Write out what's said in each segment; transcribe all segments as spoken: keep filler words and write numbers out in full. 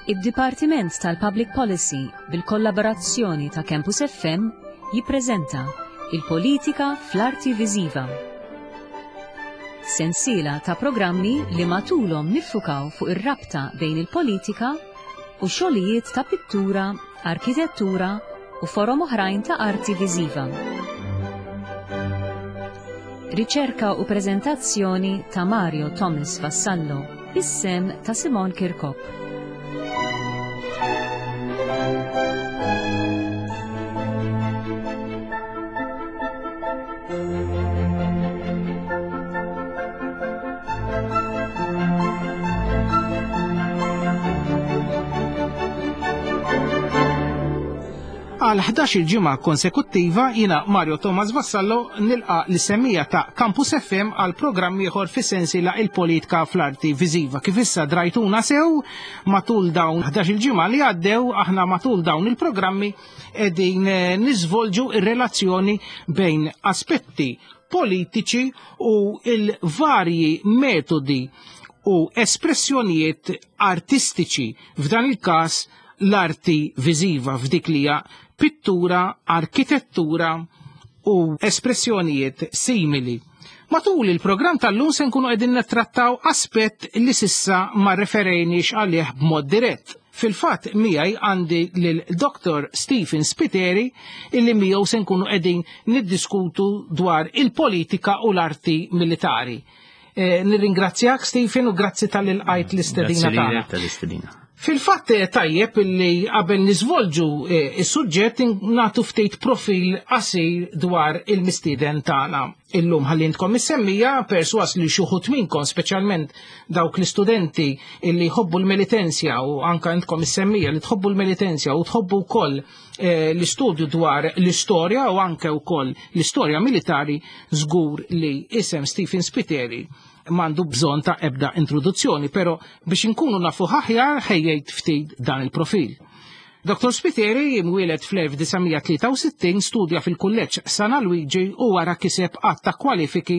Id-Dipartiment tal-Public Policy bil-kollaborazzjoni ta' Campus F M jippreżenta Il-Politika fl-Arti Viżiva. Sensiela ta' programmi li matulhom niffukaw fuq ir-rabta bejn il-politika u xogħlijiet ta' pittura, arkitettura u forom oħrajn ta' arti viżiva. Riċerka u preżentazzjoni ta' Mario Thomas Vassallo, bis-sehem ta' Simon Kirkop. Għal ħdax-il ġimgħa konsekuttiva, jiena Mario Thomas Vassallo nilqa l-semmiegħa ta' Campus F M għal programm ieħor fi sensiela Il-Politika fl-Arti Viżiva. Kif issa drajtuna sew matul dawn ħdax-il ġimgħa li għaddew, aħna matul dawn il-programmi qegħdin eh, niżvolġu ir-relazzjoni bejn aspetti politiċi u il-varji metodi u espressjonijiet artistiċi, f'dan il-każ l-arti viżiva f'dik li hija pittura, arkitettura u espressjonijiet simili. Matul il-programm tal-lum se nkunu qegħdin nittrattaw aspett li s'issa ma referejniex għalih b'mod dirett. Fil-fatt, miegħi għandi lil Doktor Stephen Spiteri, illi miegħu se nkunu qegħdin niddiskutu dwar il-politika u l-arti militari. E, nirringrazzjak, Stephen, u grazzi talli lqajt l-istedina tagħna. Tal-istedina. Fil-fatt, eh, tajjeb illi qabel niżvolġu eh, is-suġġett nagħtu ftit profil qasir dwar il-mistieden tagħna. Illum, ħalli intkom is-semmiegħa, perswas li xi wħud minnkom, speċjalment dawk l-istudenti illi jħobbu l-Melitensja u anka intkom is-semmiegħa li tħobbu l-Melitensja u tħobbu wkoll eh, l-istudju dwar l-istorja u anke wkoll l-istorja militari, żgur li isem Stephen Spiteri m'għandu bżonn ta' ebda introduzzjoni, pero biex inkunu nafu aħjar ħejjejt ftit dan il-profil. Doktor Spiteri imwieled fl-elf disa' mija tlieta u sittin, studja fil-Kulleġġ San Luigi u wara kiseb għadd ta' kwalifiki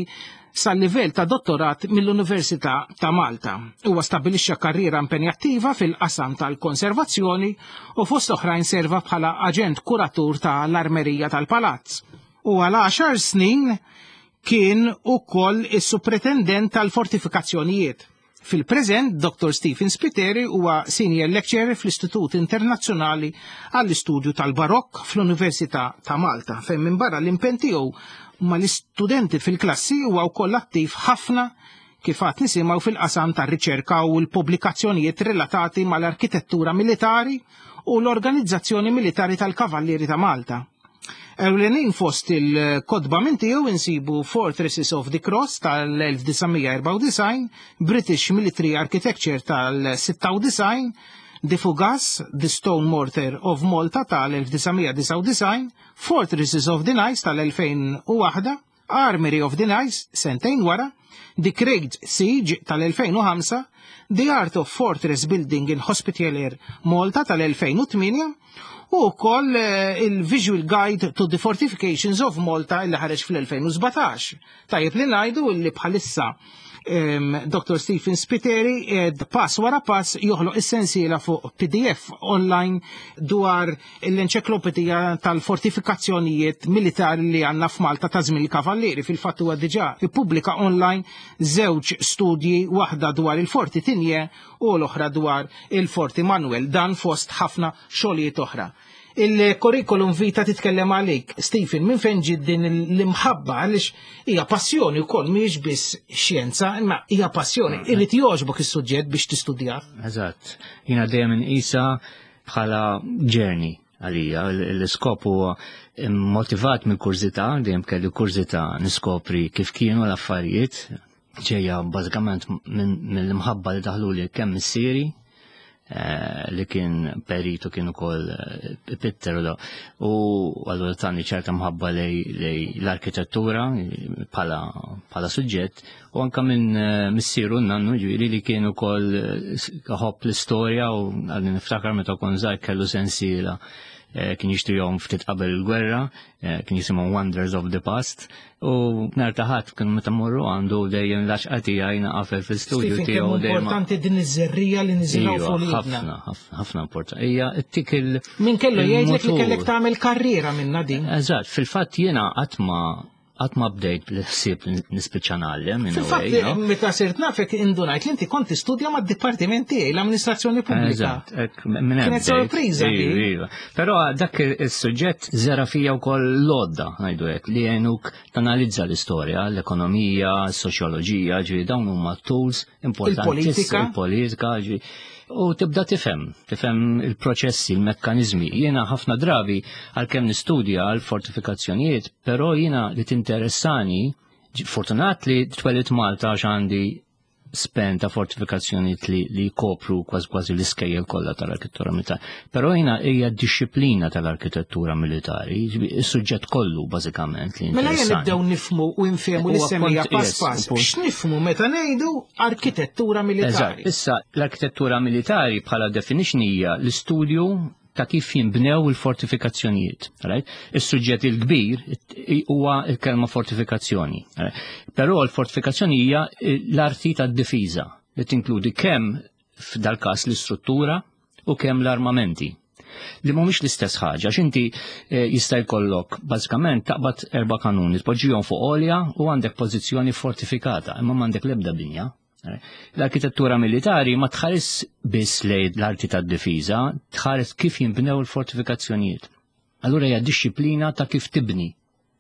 sal-livell ta' dottorat mill-Università ta' Malta. Huwa stabilixxa karriera impenjattiva fil-qasam tal-konservazzjoni u fost oħrajn serva bħala aġent kuratur tal-Armerija tal-Palazz. U għal għaxar snin kien ukoll is-supretendent tal-fortifikazzjonijiet. Fil-preżent, Doktor Stephen Spiteri huwa senior lecturer fl-Istitut Internazzjonali għall-Istudju tal-Barokk fl-Università ta' Malta, fejn minn barra l-impenn tiegħu mal-istudenti fil-klassi huwa wkoll attiv ħafna, kif għad nisimgħu, fil-qasam tar-riċerka u l-pubblikazzjonijiet relatati mal-arkitettura militari u l-Organizzazzjoni Militari tal-Kavallieri ta' Malta. Ewlenin fost il-kotba minn tiegħu insibu Fortresses of the Cross tal-elf disa' mija erbgħa u disgħin, British Military Architecture tal-sitta u disgħin, The Fougasse, The Stone Mortar of Malta tal-elf disa' mija disgħa u disgħin, Fortresses of the Knights tal-elfejn u waħda, Armory of the Knights sentejn wara, The Great Siege tal-elfejn u ħamsa, The Art of Fortress Building in Hospitalier Malta tal-elfejn u tmienja u wkoll eh, il-Visual Guide to the Fortifications of Malta illi ħareġ fl-elfejn u sbatax. Tajjeb li ngħidu li bħalissa um, Doktor Stephen Spiteri ed pass wara pass joħloq is-sensiela fuq P D F online dwar l-enċiklopedija tal-fortifikazzjonijiet militari li għandna f'Malta ta' żmien il-Kavallieri. Fil-fatt, huwa diġà ippubblika online żewġ studji, waħda dwar il-Forti Tigné u l-oħra dwar il-Forti Manuel, dan fost ħafna xogħlijiet oħra. Il-curriculum vitae titkellem għalik. Stephen, minn fejn ġiet din l-imħabba? Għaliex hija passjoni wkoll, mhijiex biss xjenza, imma hija passjoni. Irid jogħġbok is-suġġett biex tistudja. Eżatt. Jiena dejjem inqisha bħala journey għalija. L-iskop huwa motivat mill kurżità, dejjem kelli kurżità niskopri kif kienu l-affarijiet, ġejja bażikament mill-imħabba li daħlu li kemm missieri eh, li kien peritu, kien ukoll eh, pitter u u allura tani ċerta mħabba lejn l-arkitettura bħala bħala suġġett, u anka minn eh, missieru nannu, ġifieri li kien ukoll iħobb l-istorja, u għadni niftakar meta kont żgħir kellu sensiela eh, kien jixtrihom ftit qabel il-gwerra, eh, kien jisimhom Wonders of the Past, u nhar ta' Ħadd kien meta morru għandu dejjem l-għaxqa tiegħi naqafel fil-studio Stephen, tiegħu kemm dejjem. importanti din iż-żerriegħa li niżilgħu Iva, fuq l-idna. ħafna, ħafna, ħafna importanti. Hija tik il- Min kellu jgħidlek li il-motur. kellek tagħmel karriera minna din. Eżatt, fil-fatt jiena qatt ma qatt ma bdejt bil-ħsieb li nispiċċa ngħallem in a Fil-fatt, way, no? meta sirt nafek indunajt li inti kont tistudja mad-dipartiment tiegħi, l-amministrazzjoni pubblika. Eżatt, hekk, minn hemm Kienet bdejt. sorpriża Iva, di. iva. Però dak il-suġġett żera' fija wkoll l-għodda, ngħidu hekk, li jgħinuk tanalizza l-istorja, l-ekonomija, s-soċjoloġija, ġifieri dawn huma tools importanti. Il-politika. Il-politika, ġifieri. U tibda tifhem, tifhem il-proċessi, il-mekkanizmi. Jiena ħafna drabi għalkemm nistudja għal fortifikazzjonijiet, però jiena li tinteressani, fortunat li twelidt Malta għax għandi span ta' fortifikazzjonijiet li, li kopru kważi kważi l-iskejjel kollha tal-arkitettura militari. Però jiena hija dixxiplina tal-arkitettura militari, is-suġġett kollu bażikament li Mela ejja interessani. nibdew nifhmu u nfehmu li Huwa semmija punt- pass yes, pass. punt. X'nifhmu meta ngħidu arkitettura militari? Eżatt, issa l-arkitettura militari bħala definition hija l-istudju ta' kif jinbnew il-fortifikazzjonijiet. Right? Is-suġġett il-kbir huwa il-kelma fortifikazzjoni. Right? Però l-fortifikazzjoni hija l-arti tad-difiża li tinkludi kemm f'dal-każ l-istruttura u kemm l-armamenti. Li mhumiex l-istess ħaġa, għax inti eh, jista' jkollok bażikament taqbad erba' kanuni, tpoġġihom fuq għolja u għandek pożizzjoni fortifikata, imma m'għandek l-ebda binja. L-arkitettura militari ma tħares biss lejn l-arti tad-difiża, tħares kif jinbnew il-fortifikazzjonijiet. Allura hija dixxiplina ta' kif tibni.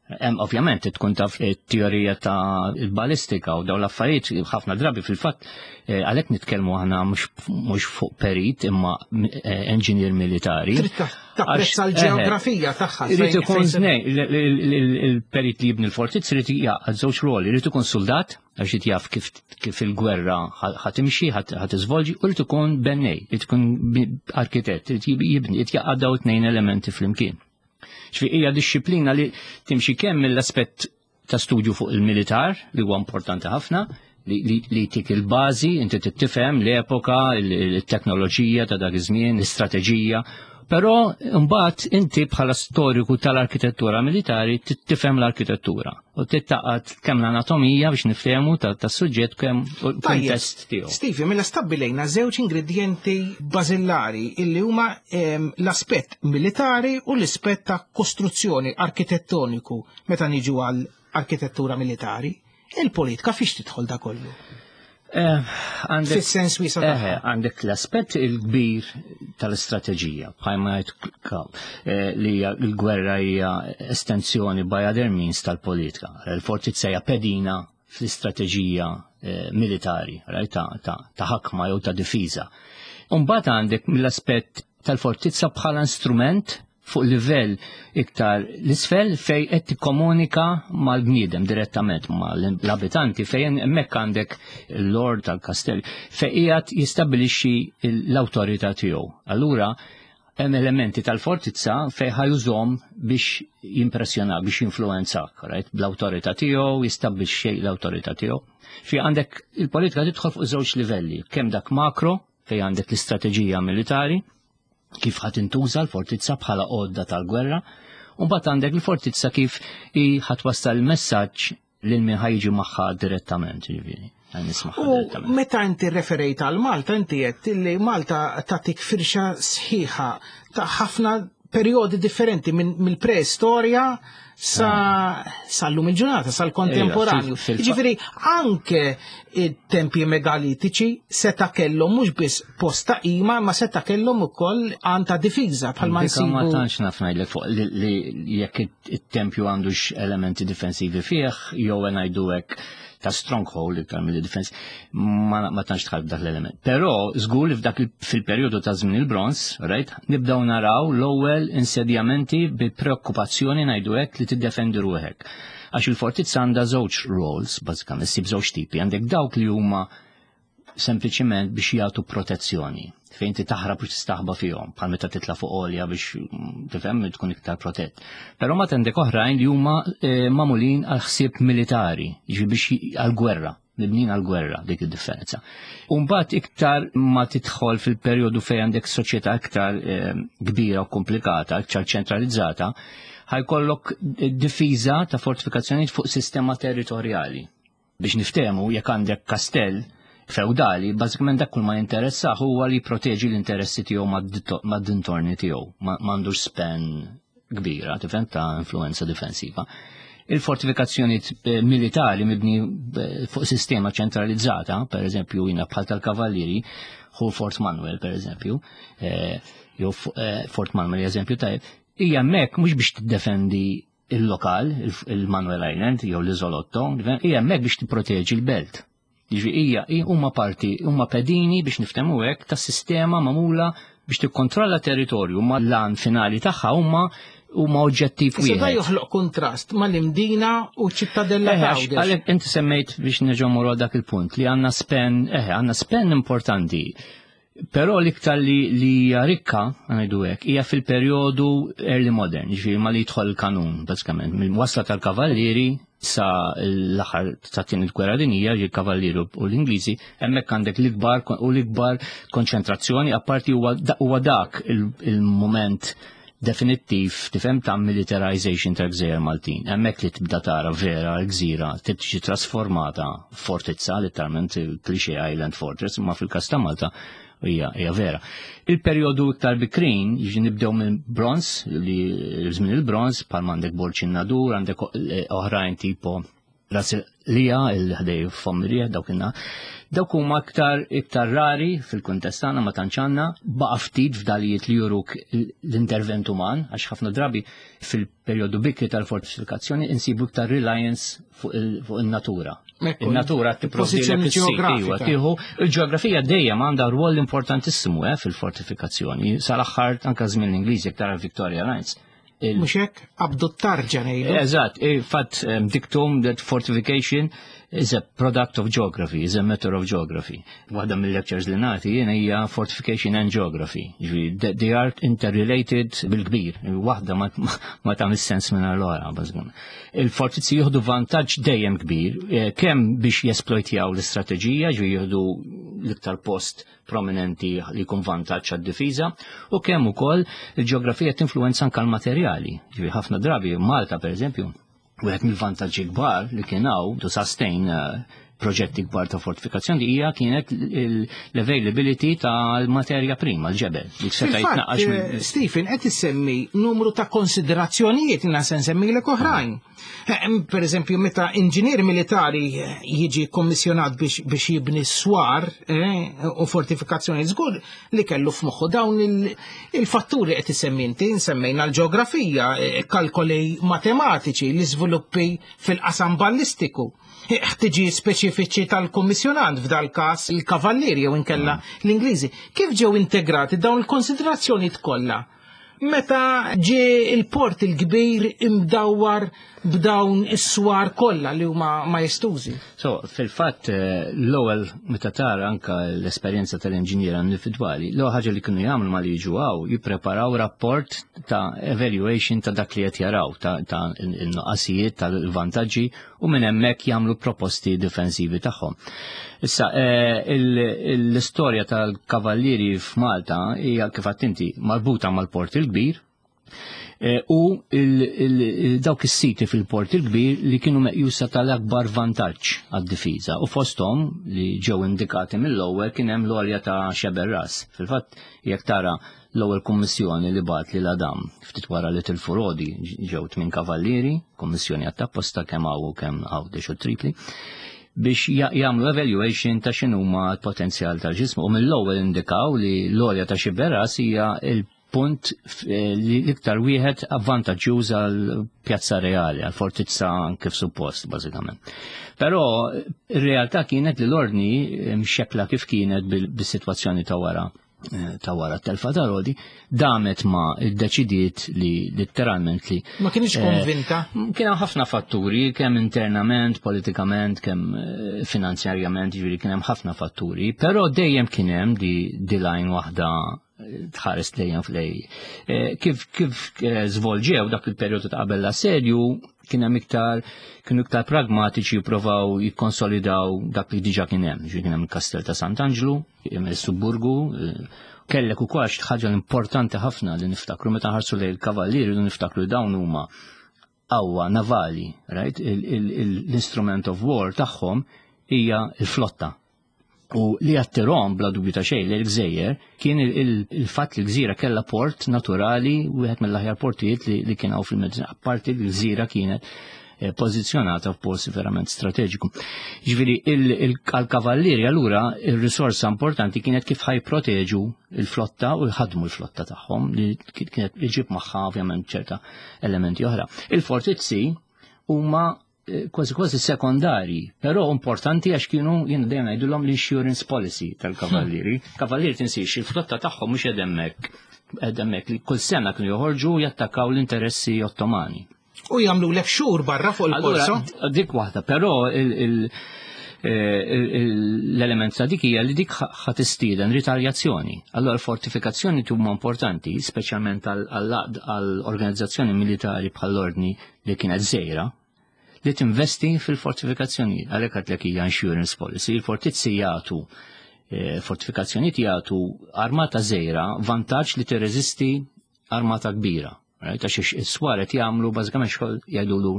Hemm ovvjament tkun taf it-teorija ta' il-balistika u dawn l-affarijiet ħafna drabi fil-fatt eh, għalhekk nitkellmu aħna mhux mhux fuq perit imma eh, engineer militari. Trid ta- tapprezza Għax, l-ġeografija tagħha. Irid fejn- ikun fejn se- nej, il- il- il- il-perit li jibni l-fortizz irid jaqgħad żewġ ruoli, irid ikun soldat għax irid jaf kif kif il-gwerra ħa timxi, ħa tiżvolġi, u irid ikun bennej, irid ikun bi- arkitett, irid jibni, irid jaqgħad daw tnejn elementi flimkien. Ġifieri hija dixxiplina li timxi kemm mill-aspett ta' studju fuq il-militar, li huwa importanti ħafna, li, li, li tik il-bażi, inti tifhem l-epoka, il-teknoloġija ta' dak iż-żmien, l-istrateġija, però mbagħad inti bħala storiku tal-arkitettura militari tifhem l-arkitettura u tittaqat kemm l-anatomija biex niftehmu tas-suġġett kemm kuntest tiegħu. Stevie, mela stabbilejna żewġ ingredienti bażillari illi huma ehm, l-aspett militari u l-aspett ta' kostruzzjoni arkitettoniku meta niġu għal arkitettura militari. Il-politika fiex tidħol da kollu? Eh, għandek Fis-sens wiesa' Eh, tagħha. għandek l-aspett il-kbir tal-istrateġija, bħalma jgħid Karl, eh, li hija l-gwerra hija estensjoni by other means tal-politika. Il-fortizza hija pedina fl-istrateġija eh, militari, right, ta' ta' ta' ħakma jew ta' difiża. Umbagħad għandek mill-aspett tal-fortizza bħala instrument fuq livell iktar l-isfel fej qed tikkomunika mal-bniedem direttament mal-abitanti fejn hemmhekk għandek il-lord tal-kastell fej qiegħed jistabbilixxi l-awtorità tiegħu. Allura hemm elementi tal-fortizza fej ħa jużahom biex jimpressjona, biex jinfluwenzak, right? Bl-awtorità tiegħu, jistabbilixxi l-awtorità tiegħu. Fi għandek il-politika tidħol fuq żewġ livelli, kemm dak makro fej għandek l-istrateġija militari, kif ħa tintuża l-fortizza bħala għodda tal-gwerra, u mbagħad għandek il-fortizza kif i ħa twassal il-messaġġ lil min ħa jiġi magħha direttament, ġifieri. Nismaħħa U direttament. meta inti referejt għal Malta, inti għedt li Malta tatik firxa sħiħa ta' ħafna periodi differenti minn mill-preistorja sa sal-lum il-ġurnata, sal-kontemporanju. Ejja, fil- fil- Ġifieri anke it-tempji megalitiċi seta kellhom mhux biss post ta' qima, ma seta kellhom ukoll għan ta' difiża bħalma Dika ma nsibu. tantx naf ngħidlek fuq li, li jekk it- it-tempju għandux elementi difensivi fih, jew ngħidu hekk ta' stronghold iktar mill defense, ma, ma tantx tħalb dak l-element. Però żgur li f'dak il- fil-perjodu ta' żmien il-bronz, right, nibdew naraw l-ewwel insedjamenti bi preokkupazzjoni ngħidu hekk li tiddefendi ruħek. Għax il-fortizza għandha żewġ roles, bażikament, issib żewġ tipi, għandek dawk li huma sempliċiment biex jagħtu protezzjoni fejn ti taħrab u tistaħba fihom, bħal meta titla' fuq għolja biex mm, tifhem tkun iktar protett. Però ma għandek oħrajn li huma eh, magħmulin għal ħsieb militari, jiġifieri biex għal gwerra Mibnin għal-gwerra, dik id-differenza. Umbagħad iktar ma tidħol fil-perjodu fejn għandek soċjetà iktar eh, kbira u komplikata, iktar ċentralizzata, ħa jkollok difiża ta' fortifikazzjoni fuq sistema territorjali. Biex niftehmu, jekk għandek kastell feudali, bażikament dak kull ma jinteressah huwa li jproteġi l-interessi tiegħu mad-dintorni tiegħu, m'għandux span kbira, tifhem, ta' influenza difensiva. Il-fortifikazzjoni eh, militari mibni eh, fuq sistema ċentralizzata, per eżempju jina bħal tal-Kavallieri, hu Fort Manuel per eżempju, eh, jew Fort Manuel eżempju tajjeb, hija hemmhekk mhux biex tiddefendi il-lokal, il-Manuel Island jew l-Iżolotto, hija hemmhekk biex tipproteġi l-belt. Jiġifieri hija huma parti, huma pedini, biex niftehmu hekk, ta' sistema magħmula biex tikkontrolla territorju, ma l-għan finali tagħha huma huma oġġettiv wieħed. Da joħloq kontrast mal-Imdina u ċittadella ta' Għalhekk inti semmejt, biex nerġgħu dak il-punt, li għandna span, eħe, għandna span importanti. Però l-iktar li li hija rikka, ngħidu hekk, hija fil-perjodu early modern, ġifieri ma li jidħol il-kanun, bażikament, mill-wasla tal-kavallieri sa l-aħħar ta' tieni gwerra dinjija, ġi kavallieri u l-Ingliżi, hemmhekk għandek l-ikbar u l-ikbar konċentrazzjoni, apparti huwa dak il-moment definittiv, tifhem, ta' militarization ta' gżejjer Maltin. Hemmhekk li tibda tara vera l-gżira tiġi trasformata fortizza, letteralment cliché island fortress, imma fil-każ ta' Malta hija hija vera. Il-perjodu iktar bikrin, jiġi nibdew minn bronz, li żmien il-bronz, bħal għandek Borġ in-Nadur, għandek oħrajn tipo Ras Lija, il-ħdej Fomrija, dawk inna. Dawk huma iktar iktar rari fil-kuntest tagħna, ma tantx għandna, baqa' ftit fdalijiet li juruk l-intervent uman, għax ħafna drabi fil-perjodu bikri tal-fortifikazzjoni insibu iktar reliance fuq il-natura. Il-natura tipprovdi tieħu il-ġeografija dejjem għandha rwol importantissimu eh, fil-fortifikazzjoni. Sal-aħħar anke żmien l-Ingliżi tara Victoria Lines. Mhux hekk, qabdu t-tarġa ngħidu. Eżatt, fatt dictum that fortification is a product of geography, is a matter of geography. Waħda mill-lectures li nagħti jiena hija fortification and geography. Ġifieri they are interrelated bil-kbir. Waħda ma, ma tagħmel sens minn l-oħra, bażikament. Il-fortizzi jieħdu vantaġġ dejjem kbir, eh, kemm biex jesplojtjaw l-istrateġija, ġifieri jieħdu l-iktar post prominenti li jkun vantaġġ għad-difiża, u kemm ukoll il-ġeografija tinfluwenza anke l-materjali. Ġifieri ħafna drabi Malta, pereżempju, wieħed mill-vantaġġi kbar li kien hawn to sustain uh, proġetti kbar ta' fortifikazzjoni hija kienet l-availability tal-materja prima, l-ġebel. Li seta' jitnaqqax eh, Stephen, qed issemmi numru ta' konsiderazzjonijiet, jiena se nsemmilek oħrajn. Eh, Per eżempju, meta inġinier militari jiġi kommissjonat biex, biex jibni swar eh, u fortifikazzjoni, żgur li kellu f'moħħu dawn il- il-fatturi qed issemmi inti, nsemmejna l-ġeografija, eh, kalkoli matematiċi, l-iżviluppi fil-qasam ballistiku, ħtiġi speċifiċi tal-kommissjonant, f'dal każ il-kavallieri jew inkella l-Ingliżi. Kif ġew integrati dawn il-konsiderazzjoni kollha meta ġie il-Port il-Kbir imdawwar b'dawn is-swar kollha li huma majestużi? So, fil-fatt, eh, l-ewwel meta tara anka l-esperjenza tal-inġiniera individwali, l-ewwel ħaġa li kienu jagħmlu ma li jiġu hawn, jippreparaw rapport ta' evaluation ta' dak li qed jaraw, ta' ta' il-nuqqasijiet, tal-vantaġġi, u minn hemmhekk jagħmlu proposti difensivi tagħhom. Issa, eh, il- l-istorja tal-kavallieri f'Malta hija, kif inti, marbuta mal-Port il-Kbir, Eh, u il- il- dawk is-siti fil-Port il-Kbir li kienu meqjusa tal-akbar vantaġġ għad-difiża, u fosthom li ġew indikati mill-ewwel kien hemm l-għolja ta' Xeberras. Fil-fatt, jekk tara l-ewwel kummissjoni li bagħat lil Adam ftit wara li tilfu Rodi, ġew tmien kavallieri, kummissjoni għat-tapposta kemm hawn u kemm Għawdex u Tripli, biex jagħmlu evaluation ta' x'inhuma l-potenzjal tal-ġismu, u mill-ewwel indikaw li l-għolja ta' Xiberras hija il punt eh, li l-iktar wieħed avvantaġġjuż għal pjazza reali, għal fortizza kif suppost, bażikament. Però ir-realtà kienet li l-ordni mxekla kif kienet bis-sitwazzjoni ta' wara eh, ta' wara t-telfa ta' Rodi, damet ma iddeċidiet li letteralment li Ma kienx eh, konvinta? Kien hemm ħafna fatturi, kemm internament, politikament, kemm eh, finanzjarjament, ġifieri kien hemm ħafna fatturi, però dejjem kien hemm di, di line waħda tħares lejn flej. Eh, kif kif eh, żvolġew dak il-perjodu ta' qabel l-assedju kien hemm iktar kienu iktar pragmatiċi jippruvaw jikkonsolidaw dak li diġà kien hemm. Ġifieri kien hemm il-Kastell ta' Sant'Anġlu, il-Subburgu, eh, kellek ukoll xi ħaġa importanti ħafna li niftakru meta nħarsu lejn il-kavallieri li niftakru dawn huma qawwa navali, right? L-instrument of war tagħhom hija l-flotta. U li attirahom bla dubju ta' xejn li l-gżejjer kien il-fatt li l-gżira kellha port naturali, wieħed mill-aħjar portijiet li kien hawn fil-Mediterran, apparti li l-gżira kienet eh, pożizzjonata f'post verament strateġiku. Ġifieri għal-kavallieri allura il-risorsa importanti kienet kif ħa jipproteġu il-flotta u jħadmu l-flotta tagħhom li kienet iġib magħha ovvjament ċerta elementi oħra. Il-fortizzi huma kważi kważi sekondari, però importanti għax kienu jien dejjem ngħidulhom l-insurance policy tal-kavallieri. Hmm. Kavallieri tinsiex il-flotta tagħhom mhux hemmhekk hemmhekk li kull sena kienu joħorġu jattakkaw l-interessi Ottomani. U jagħmlu lek xhur barra fuq il-korso. Dik waħda, però l-element ta' dik hija li dik ħa tistieden ritaljazzjoni. Allora l-fortifikazzjoni huma importanti, speċjalment għall-organizzazzjoni militari bħall-ordni li kienet żgħira, li tinvesti fil-fortifikazzjoni. Għalhekk għedtlek hija insurance policy. Il-fortizzi jagħtu eh, fortifikazzjoni jagħtu armata żgħira vantaġġ li tirreżisti armata kbira. Right? Għax is-swar qed jagħmlu bażikament xogħol jgħidulu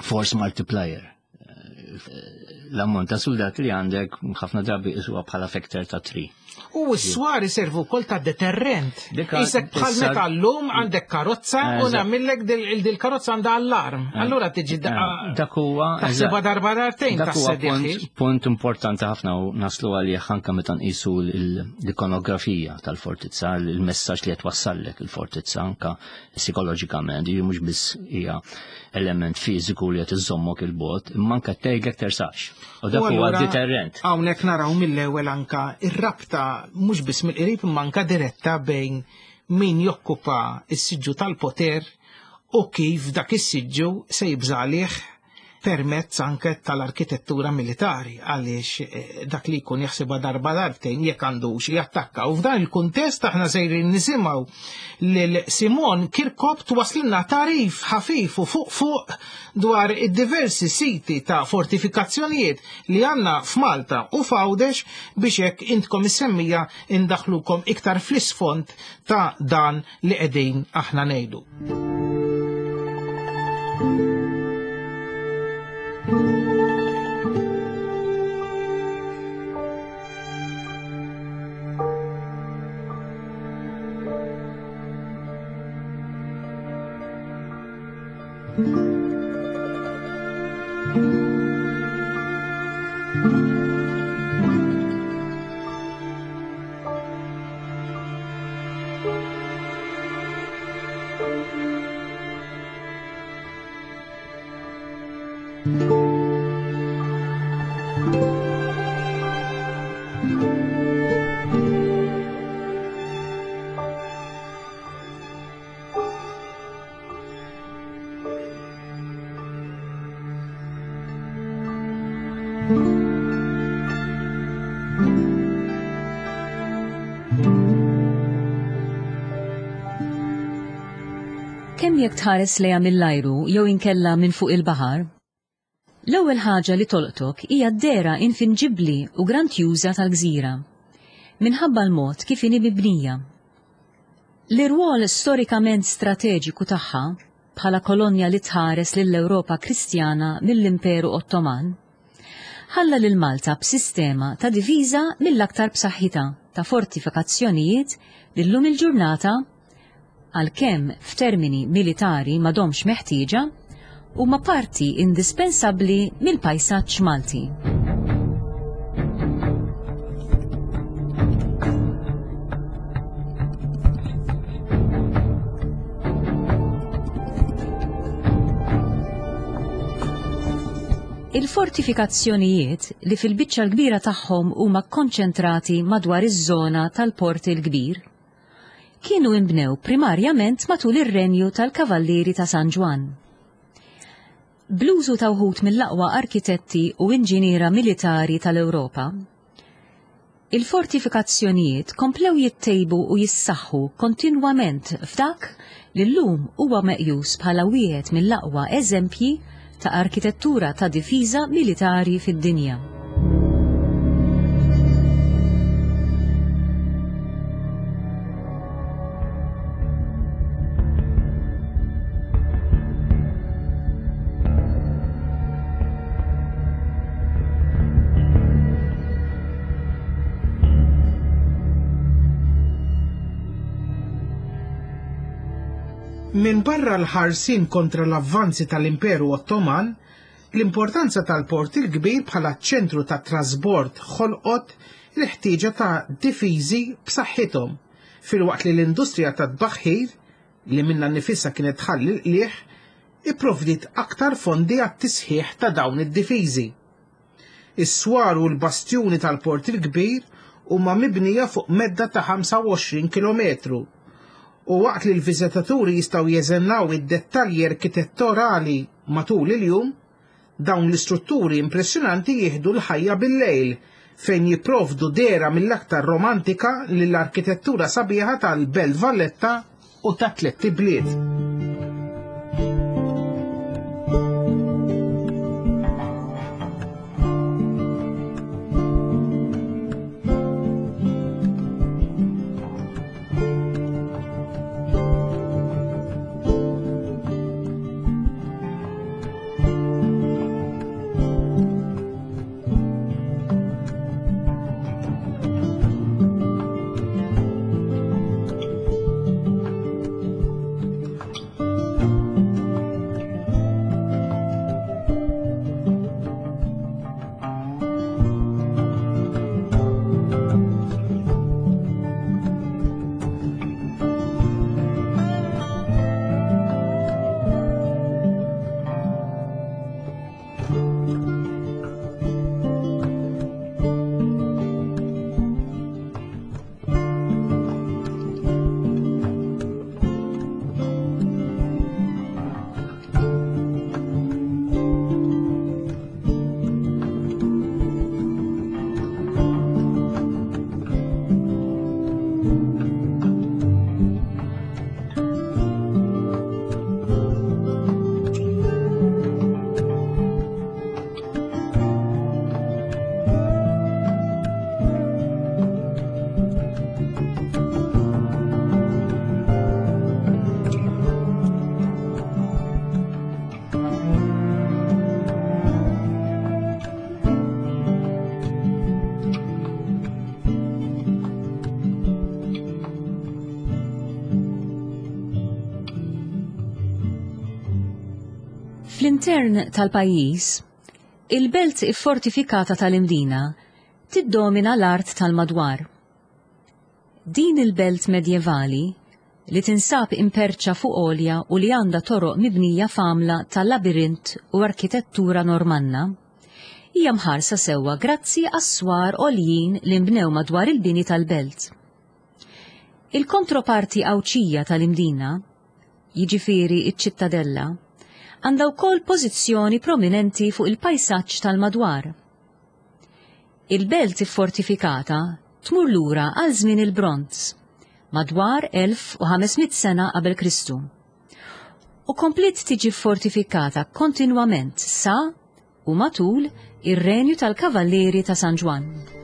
force multiplier. Eh, l-ammont ta' soldati li għandek ħafna drabi isuha bħala factor ta' three. U s-swar iservu wkoll ta' deterrent. Isek bħal meta llum għandek karozza u nagħmillek dil-karozza għandha allarm. Allura tiġi dak huwa taħsibha darba darbtejn dak huwa punt importanti ħafna u naslu għalih anke meta nqisu l-ikonografija tal-fortizza, il-messaġġ li qed wassallek il-fortizza anke psikoloġikament, mhux biss hija element fiżiku li qed iżommok il-bogħod, imma anke tgħidlek tersax. U dak huwa deterrent. Hawnhekk naraw mill-ewwel anka ir-rabta mhux biss mill-qrib imma anka diretta bejn min jokkupa s-siġġu tal-poter u kif dak is-siġġu se jibżalih permezz anke tal-arkitettura militari għaliex eh, dak li jkun jaħsibha darba darbtejn jekk għandux jattakka. U f'dan il-kuntest aħna sejrin nisimgħu lil Simon Kirkop twaslilna tarif ħafif u fuq fuq dwar id-diversi siti ta' fortifikazzjonijiet li għandna f'Malta u f'Għawdex biex hekk intkom is-semmija indaħlukom iktar fl-isfond ta' dan li qegħdin aħna ngħidu. Kemm jekk tħares lejha mill-ajru jew inkella minn fuq il-baħar, l-ewwel ħaġa li tolqtok hija d-dehra infinġibbli u grandjuża tal-gżira, minħabba l-mod kif inhi mibnija. L-irwol storikament strateġiku tagħha bħala kolonja li tħares lill-Ewropa Kristjana mill-Imperu Ottoman, ħalla lil Malta b'sistema ta' diviża mill-aktar b'saħħitha ta' fortifikazzjonijiet li llum il-ġurnata għalkemm f'termini militari m'għadhomx meħtieġa, huma parti indispensabbli mill-pajsaġġ Malti. Il-fortifikazzjonijiet li fil-biċċa l-kbira tagħhom huma kkonċentrati madwar iż-żona tal-Port il-Kbir kienu imbnew primarjament matul ir-renju tal-Kavallieri ta' San Ġwann. Bl-użu ta' wħud mill-aqwa arkitetti u inġiniera militari tal-Ewropa, Il-fortifikazzjonijiet komplew jittejbu u jissaħħu kontinwament f'dak li llum huwa meqjus bħala wieħed mill-aqwa eżempji ta' arkitettura ta' difiża militari fid-dinja. Minn barra l-ħarsin kontra l-avvanzi tal-Imperu Ottoman, l-importanza tal-Port il-Kbir bħala ċentru ta' trasbord ħolqot l-ħtieġa ta' difiżi b'saħħithom, filwaqt li l-industrija ta' tbaħħir, li minnha nnifisha kienet tħalli l-qligħ, ipprovdiet aktar fondi għat-tisħiħ ta' dawn id-difiżi. Is-swar u l-bastjuni tal-Port il-Kbir huma mibnija fuq medda ta' ħamsa u għoxrin kilometru, u waqt li l-viżitaturi jistgħu jeżennaw id-dettalji arkitettorali matul il-jum, dawn l-istrutturi impressjonanti jieħdu l-ħajja bil-lejl fejn jipprovdu dehra mill-aktar romantika lill-arkitettura sabiħa tal-Belt Valletta u ta' Tlett Ibliet. Fl-intern tal-pajjiż, il-belt iffortifikata tal-Imdina tiddomina l-art tal-madwar. Din il-belt medjevali, li tinsab imperċa fuq għolja u li għandha toroq mibnija f'għamla tal-labirint u arkitettura normanna, hija mħarsa sewwa grazzi għas-swar għoljin li nbnew madwar il-bini tal-belt. Il-kontroparti Għawdxija tal-Imdina, jiġifieri iċ-ċittadella, għandha wkoll pożizzjoni prominenti fuq il-pajsaġġ tal-madwar. Il-belt iffortifikata tmur lura għal żmien il-Bronz, madwar elf u ħames mitt sena qabel Kristu, u kompliet tiġi fortifikata kontinwament sa u matul ir-renju tal-Kavallieri ta' San Ġwann.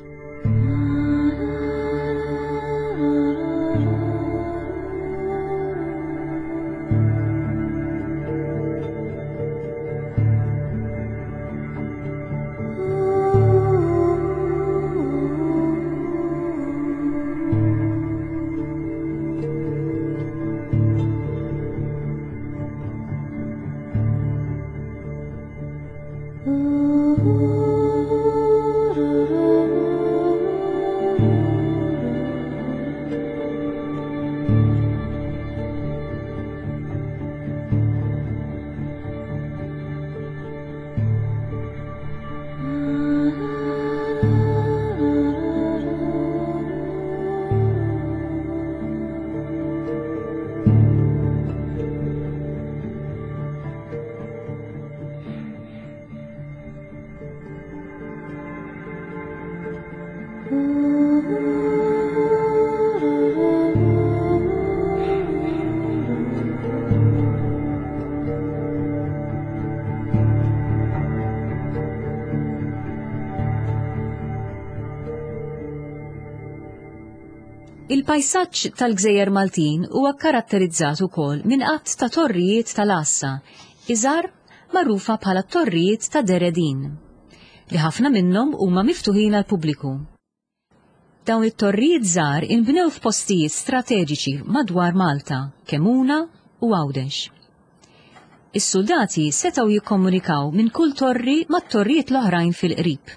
Ooh. Il-pajsaġġ tal-Gżejjer Maltin huwa karatterizzat ukoll minn għadd ta' torrijiet tal-għassa, iżgħar magħrufa bħala torrijiet ta' Deredin, li ħafna minnhom huma miftuħin għall-pubbliku. Dawn it-torrijiet żgħar inbnew f'postijiet strateġiċi madwar Malta, Kemmuna u Għawdex. Is-soldati setgħu jikkomunikaw minn kull torri mat-torrijiet l-oħrajn fil-qrib,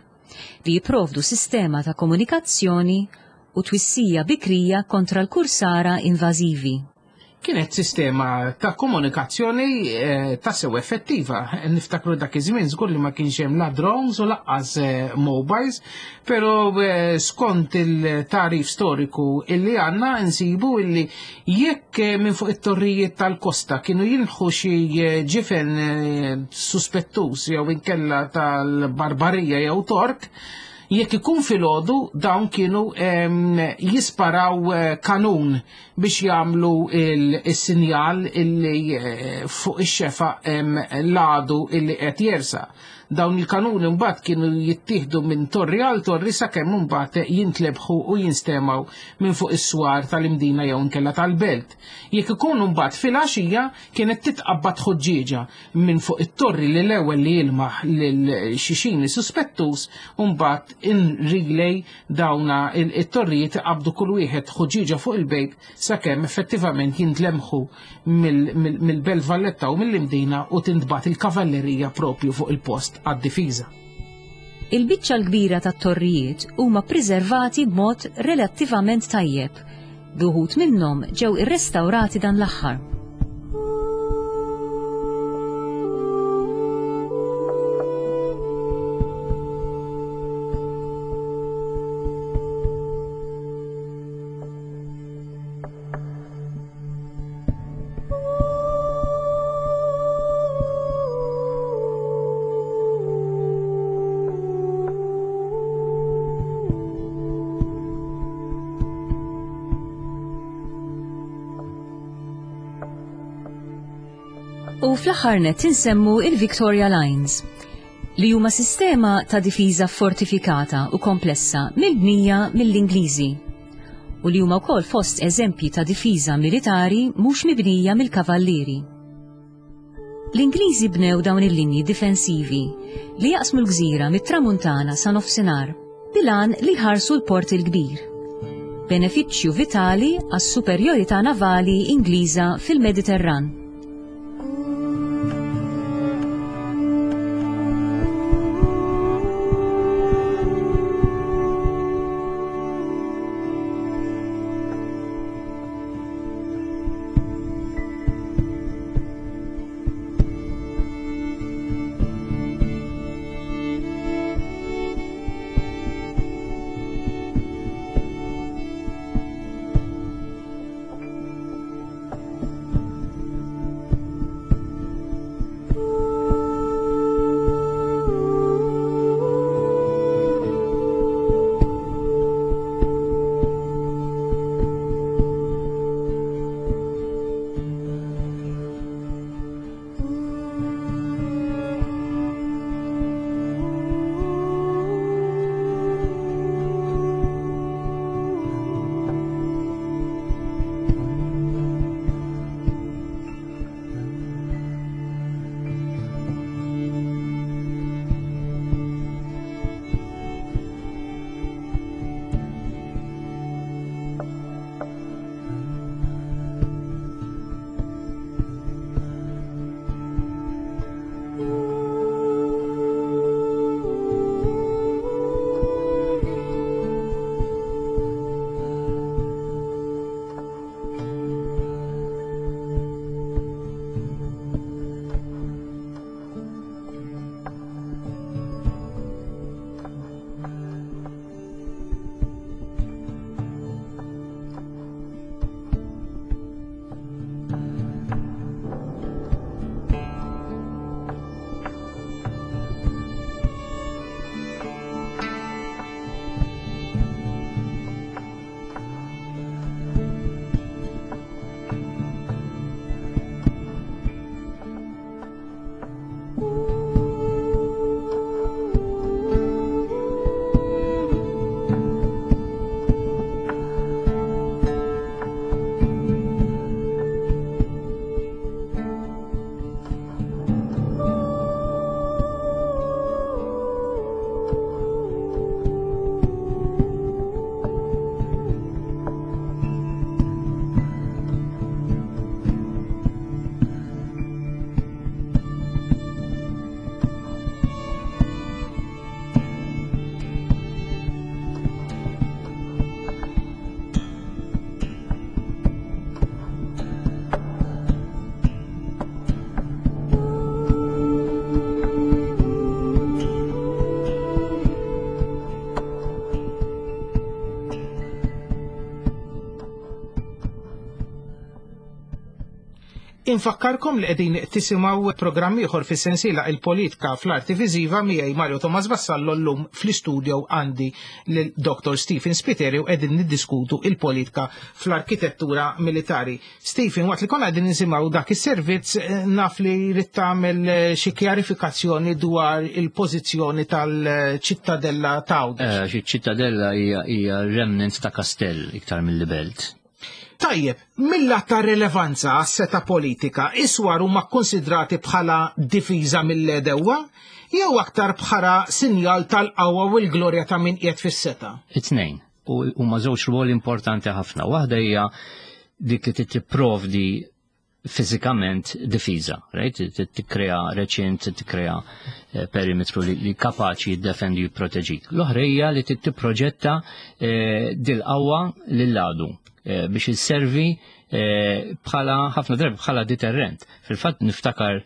li jipprovdu sistema ta' komunikazzjoni u twissija bikrija kontra l-kursara invażivi. Kienet sistema ta' komunikazzjoni eh, ta' sew effettiva. Niftakru dak iż-żmien żgur li ma kienx hemm la drones u lanqas eh, mobiles, però eh, skont il-tarif storiku illi għandna nsibu illi jekk eh, minn fuq it-torrijiet tal-kosta kienu jilħu xi eh, ġifen eh, suspettus jew inkella tal-barbarija jew Tork, jekk ikun filgħodu dawn kienu em, jisparaw eh, kanun biex jagħmlu il-sinjal illi eh, fuq ix-xefa em, l-għadu illi qed jersa. Dawn il-kanuni mbagħad kienu jittieħdu minn torri għal torri sakemm imbagħad jintlebħu u jinstemaw minn fuq is-swar tal-Imdina jew inkella tal-belt. Jekk ikunu mbagħad filgħaxija kienet titqabbad ħuġġieġa minn fuq it-torri li l-ewwel li jilmaħ lil xixini suspettus u mbagħad in relay dawna it-torrijiet iqabdu kull wieħed ħuġġieġa fuq il-bejt sakemm effettivament jintlemħu mill-Belt Valletta u mill-Imdina u tintbagħat il-kavallerija propju fuq il-post għad-difiża. Il-biċċa l-kbira tat-torrijiet huma preservati b'mod relattivament tajjeb, bi wħud minnhom ġew irrestawrati dan l-aħħar. U fl-aħħar nett insemmu il-Victoria Lines, li huma sistema ta' difiża fortifikata u komplessa mibnija mill-Ingliżi, u li huma wkoll fost eżempji ta' difiża militari mhux mibnija mill-kavallieri. L-Ingliżi bnew dawn il-linji difensivi li jaqsmu l-gżira mit-tramuntana sa nofsinhar bil-għan li jħarsu l-Port il-Kbir, benefiċċju vitali għas-superjorità navali Ingliża fil-Mediterran. Infakkarkom li qegħdin tisimgħu programm ieħor fis-sensiela Il-Politika fl-Arti Viżiva miegħi Mario Thomas Vassallo. Llum fl-istudio għandi lil Doctor Stephen Spiteri u qegħdin niddiskutu il-politika fl-arkitettura militari. Stephen, waqt li konna qegħdin nisimgħu dak is-servizz, eh, naf li ridt tagħmel eh, xi kjarifikazzjoni dwar il-pożizzjoni tal-ċittadella ta' Għawdex. Eh, xi ċittadella hija hija remnant ta' kastell iktar mill-belt. Tajjeb, mill-lat ta' rilevanza għas-seta politika, is-swar huma konsidrati bħala difiża mill-għedewwa jew aktar bħala sinjal tal-qawwa u l-glorja ta' min qiegħed fis-seta? It-tnejn. U huma żewġ rwoli importanti ħafna. Waħda hija dik li tipprovdi fiżikament difiża, right? Tikkrea reċint, tikkrea eh, perimetru li, li kapaċi jiddefendi u jipproteġik. L-oħra hija li tipproġetta eh, dil-qawwa lill-għadu eh, biex isservi eh, bħala ħafna drabi bħala deterrent. Fil-fatt niftakar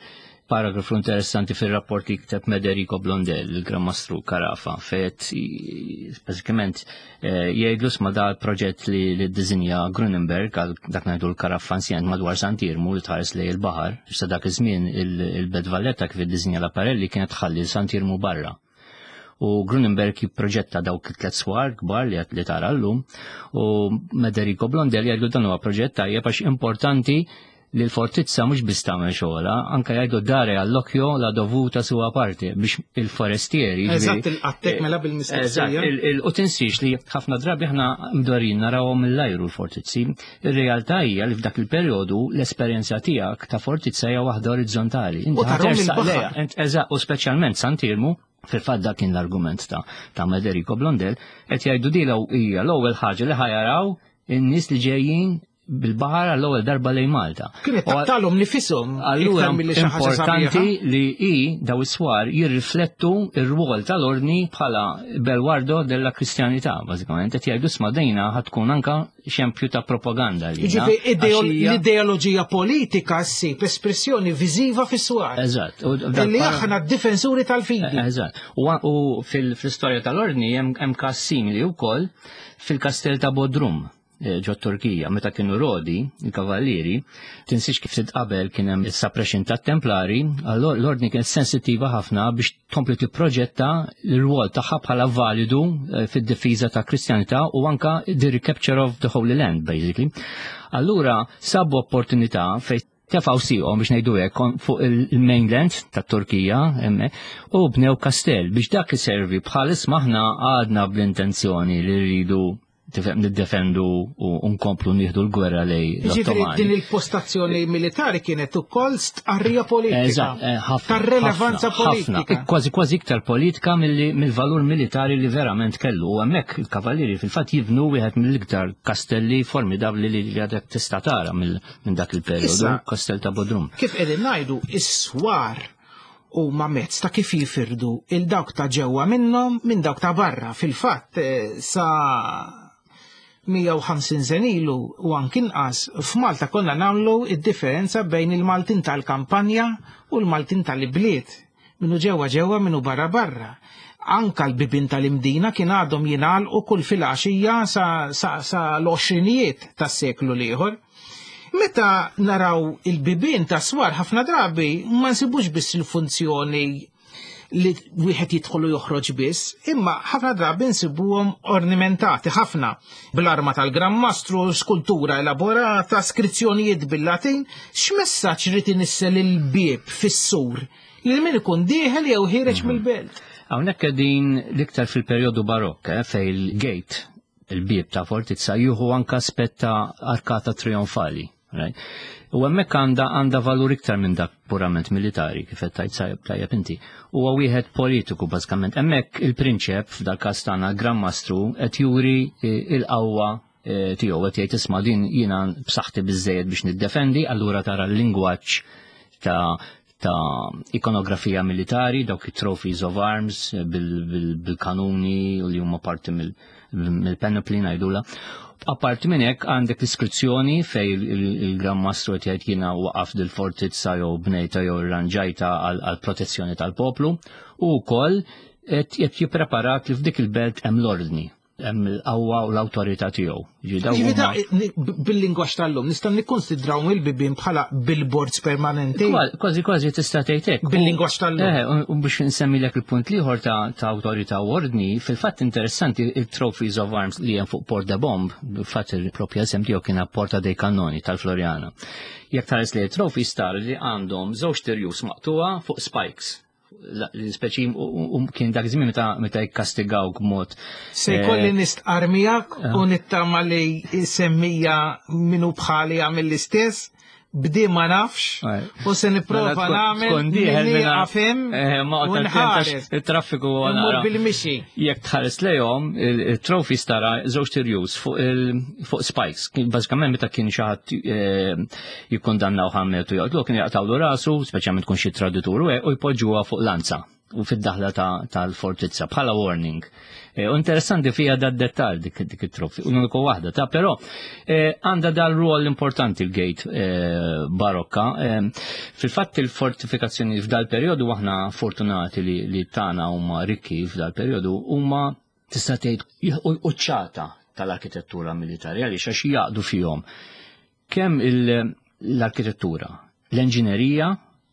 paragrafu interessanti fil-rapport li kteb Mederico Blondel, il-Gran Mastru Carafa, fejn bażikament eh, jgħidlu sma da proġett li li ddisinja Grunenberg għal dak ngħidu l-Caraffa Ancient madwar Sant'Iermu li tħares lejn il-baħar, sa dak iż-żmien il-Belt Valletta kif iddisinja Laparelli kienet tħalli Sant'Iermu barra. U Grunenberg jipproġetta dawk it-tlet swar kbar li li tara llum u Mederico Blondel jgħidu dan huwa proġett tajjeb għax importanti li l-fortizza mhux biss tagħmel xogħla, anke jgħidu dare all'occhio la dovuta sua parte biex il-forestieri. Eżatt, il-qattek mela bil-mistoqsija. Eżatt, il- il- u tinsiex li ħafna drabi aħna mdorrijin narawhom mill-ajru l-fortizzi. Ir-realtà hija li f'dak il-perjodu l-esperjenza tiegħek ta' fortizza hija waħda orizzontali. U tarahom il-baħar. Eżatt, u speċjalment Sant'Iermu, fil-fatt dak kien l-argument ta' ta' Mederico Blondel, qed jgħidu dila hija l-ewwel ħaġa li ħa jaraw in-nies li ġejjin bil-baħar għall-ewwel darba lejn Malta. Kienet taqtalhom nifisom Allura iktar milli xi ħaġa importanti sabiħa. li i daw is-swar jirriflettu ir-rwol tal-ordni bħala belwardo della kristjanità, bażikament. Qed jgħidu sma dejna ħa tkun anka xempju ta' propaganda li. Jiġifieri l-ideoloġija politika ssib espressjoni viżiva fis-swar. Eżatt. U dak Illi para- aħna d-difensuri tal-fidi. Eżatt. U, u fil-istorja tal-ordni hemm hemm każ simili wkoll fil-kastell ta' Bodrum eh, ġo Turkija, meta kienu Rodi, il-kavallieri, tinsiex kif ftit qabel kien hemm is-suppression tat-Templari, allora l-ordni kienet sensittiva ħafna biex tkompli tipproġetta l-rwol tagħha bħala validu eh, fid-difiża ta' Kristjanità u anka the recapture of the Holy Land, basically. Allura sabu opportunità fejn tefgħu sieqhom biex ngħidu hekk fuq il-mainland tat Turkija emme, u bnew kastell biex dak iservi bħal isma' aħna għadna bl-intenzjoni li rridu tifhem niddefendu u nkomplu nieħdu l-gwerra lejn Jiġifieri l-Ottomani. din il-postazzjoni militari kienet ukoll stqarrija politika. Eżatt, eh, ħafna, Tar-relevanza ħafna, ħafna. politika. Kważi kważi iktar politika milli- mill-valur militari li verament kellu. U hemmhekk il-kavallieri fil-fatt jibnu wieħed mill-iktar kastelli formidabli li li għadek tista' tara mill- minn dak il-perjodu, Issa- kastell ta' Bodrum. Kif qegħdin ngħidu, is-swar huma mezz ta' kif jifirdu il dawk ta' ġewwa minnhom minn dawk ta' barra. Fil-fatt eh, sa mija u ħamsin sena ilu u anki inqas f'Malta konna nagħmlu id-differenza bejn il-Maltin tal-kampanja u l-Maltin tal-ibliet. Minnu ġewwa ġewwa, minnu barra barra. Anka l-bibin tal-Imdina kien għadhom jingħalqu kull filgħaxija sa, sa, sa l-għoxrinijiet tas-seklu l-ieħor. Meta naraw il-bibien ta' swar, ħafna drabi ma nsibux biss il-funzjoni li wieħed jidħol u joħroġ biss, imma ħafna drabi nsibuhom ornamentati ħafna bl-arma tal-Gran Mastru, skultura elaborata, skrizzjonijiet bil-Latin. X'messaġġ irid inissel il-bieb fis-sur li min ikun dieħel jew ħiereġ mill-belt? Hawnhekk qegħdin l-iktar fil-perjodu barokk, eh, fej il-gate, il-bieb ta' fortizza jieħu anka aspett ta' arkata trionfali. Right? U hemmhekk għandha għandha valur iktar minn dak purament militari, kif qed tajt sajb tajjeb inti. Huwa wieħed politiku bażikament. Hemmhekk il-prinċep, f'dal każ tagħna Gran Mastru, qed juri eh, il-qawwa eh, tiegħu, qed jgħid isma' din jiena b'saħħti biżejjed biex niddefendi, allura tara l-lingwaġġ ta' ta' ikonografija militari, dawk it-trophies of arms eh, bil- bil- bil-kanuni u li huma parti mill- mill-panoply ngħidula. Apparti minn hekk għandek l-iskrizzjoni fej il-Gran Mastru qed jgħid jiena waqaf dil-fortizza jew bnejta jew irranġajta għal protezzjoni tal-poplu u wkoll qed qed jippreparat li f'dik il-belt hemm l-ordni. Hemm il-qawwa u l-awtorità tiegħu. Bil-lingwaġġ tal-lum nistgħu nikkonsidraw il-bibien bħala billboards permanenti. Kważi kważi tista' tgħid hekk. Bil-lingwaġġ tal-lum. Eh, u biex nsemmilek il-punt l-ieħor ta' awtorità u ordni, fil-fatt interessanti il-Trophies of Arms li hemm fuq Porta Bomb, fatt il-propja isem tiegħu kien Porta dei Cannoni tal-Floriana. Jekk tħares li trophies tara li għandhom żewġ tirjus maqtuwa fuq spikes, speċi kien dak żmien meta meta jikkastigaw b'mod. Se jkolli eh, nistqar miegħek eh. u nittama li semmija minu bħali għamil l-istess, bdi ma nafx u se nipprova mela nagħmel minni għafem eh, u nħares. Il-traffiku għana. Bil-mixi. Jekk tħares lejhom, il-trophies tara żewġ tirjus fuq spikes. Bażikament meta kien xi ħadd jikkondannaw ħammetu joqtlu, kien jaqtawlu rasu, speċjalment tkun xi traditur, u jpoġġuha fuq lanza u fid-daħla tal-fortizza bħala warning. E, u interessanti fija da dettal dik dik it-trofi, uniku waħda ta' però e, għandha dal rol importanti l-gate e, barokka. Fil-fatt il-fortifikazzjoni f'dal periodu, aħna fortunati li, li tagħna huma rikki f'dal periodu, huma tista' tgħid quċċata tal-arkitettura militari, għaliex għax jaqdu fihom kemm l-arkitettura, l-enġinerija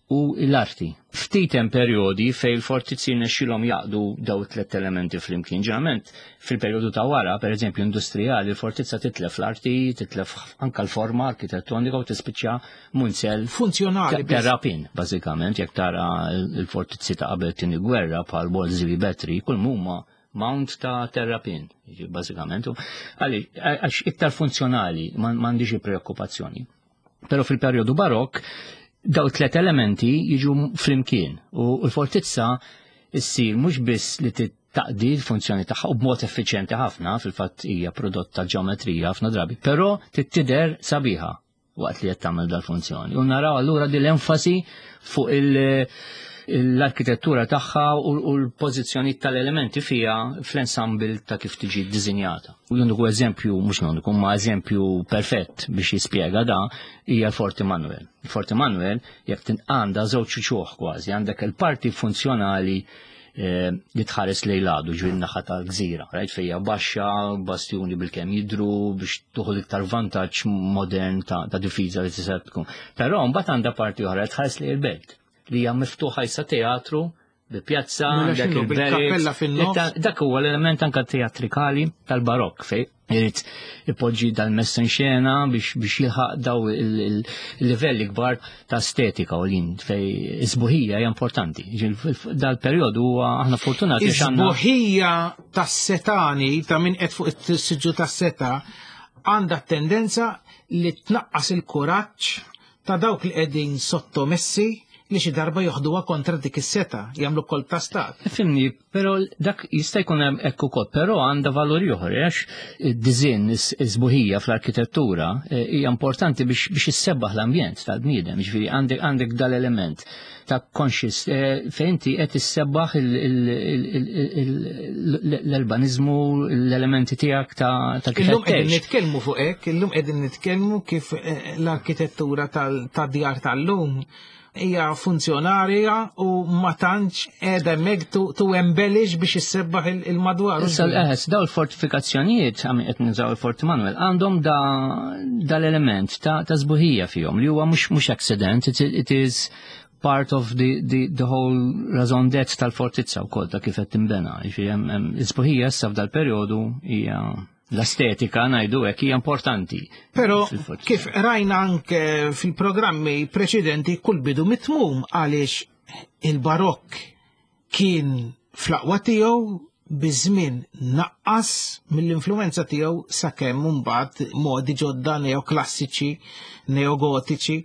u l-arti. Ftit hemm perjodi fejn il-fortizzi nexxilhom jaqdu daw tliet elementi flimkien. Ġeneralment fil-perjodu ta' wara, per eżempju industrijali, il-fortizza titlef l-arti, titlef anka l-forma arkitettonika u tispiċċa munzell funzjonali. Terrapin, bażikament, jekk tara l-fortizzi ta' qabel tieni gwerra bħal Wolseley Battery, kull huma mount ta' terrapin, bażikament. Għaliex iktar funzjonali, m'għandix preokkupazzjoni. Però fil-perjodu barokk daw tlet elementi jiġu flimkien u l-fortizza issir mhux biss li taqdi l-funzjoni tagħha u b'mod effiċjenti ħafna, fil-fatt hija prodott ta' ġeometrija ħafna drabi, però tidher sabiħa waqt li qed tagħmel dal-funzjoni. U naraw allura din l-enfasi fuq il- l-arkitettura tagħha u l-pożizzjoni tal-elementi fija fl-ensemble ta' kif tiġi ddisinjata. U l-uniku eżempju, mhux l-uniku, ma eżempju perfett biex jispjega da, hija l-Forti Manuel. Il-Forti Manuel jekk għandha żewġ uċuħ kważi, għandek il-parti funzjonali eh, li tħares lejn l-għadu ġwin naħa tal-gżira, right? Fejja baxxa, bastjuni bil-kem jidru biex tuħu iktar vantaġġ modern ta', ta difiża li tista' tkun. Però mbagħad għandha parti oħra tħares lejn il-belt li hija miftuħa jisa teatru bi pjazza, Mela dak x'inhu, bil-kappella fin-nofs? Dak huwa l-element anka teatrikali tal-barokk fej irid ipoġġi dal-messa in xena biex biex jilħaq daw il-livelli kbar ta' estetika u lin fej isbuħija hija importanti. Dal-perjodu huwa aħna fortunati għax għandna Is-sbuħija tas-setani ta' min qed fuq is-siġġu tas-seta għandha tendenza li tnaqqas il-kuraġġ ta' dawk li qegħdin sottomessi li xi darba joħduha kontra dik is-seta, jagħmlu kol ta' stat. Fimni, però dak jista' jkun hemm hekk ukoll, però għandha valur ieħor għax id-diżinn is-sbuħija fl-arkitettura eh, hija importanti biex biex issebbaħ l-ambjent tal-bniedem, jiġifieri għandek għandek dal-element ta' conscious eh, fejn inti qed issebbaħ l-urbanizmu, l-elementi tiegħek ta' ta' kif Illum qed qegħdin tgħix. nitkellmu fuq hekk, illum qegħdin nitkellmu kif eh, l-arkitettura tad-djar tal-lum hija funzjonarja u ma tantx qiegħda hemmhekk to, to embellish biex issebbaħ il- il-madwar. Issa l-eħes, daw il-fortifikazzjonijiet, għam qed nużaw il-Forti Manuel, għandhom da dal-element ta' ta' sbuħija fihom li huwa mhux mhux accident, it, it is part of the, the, the whole raison d'être tal-fortizza wkoll ta' kif qed tinbena. Jiġifieri hemm hemm is-sbuħija issa f'dal-perjodu hija l-estetika ngħidu hekk hija importanti. Però fil-fortizza. kif rajna anke fil-programmi preċedenti, kull bidu mitmum, għaliex il-barokk kien fl-aqwa tiegħu, biż-żmien naqqas mill-influenza tiegħu sakemm mbagħad modi ġodda neoklassiċi, neogotiċi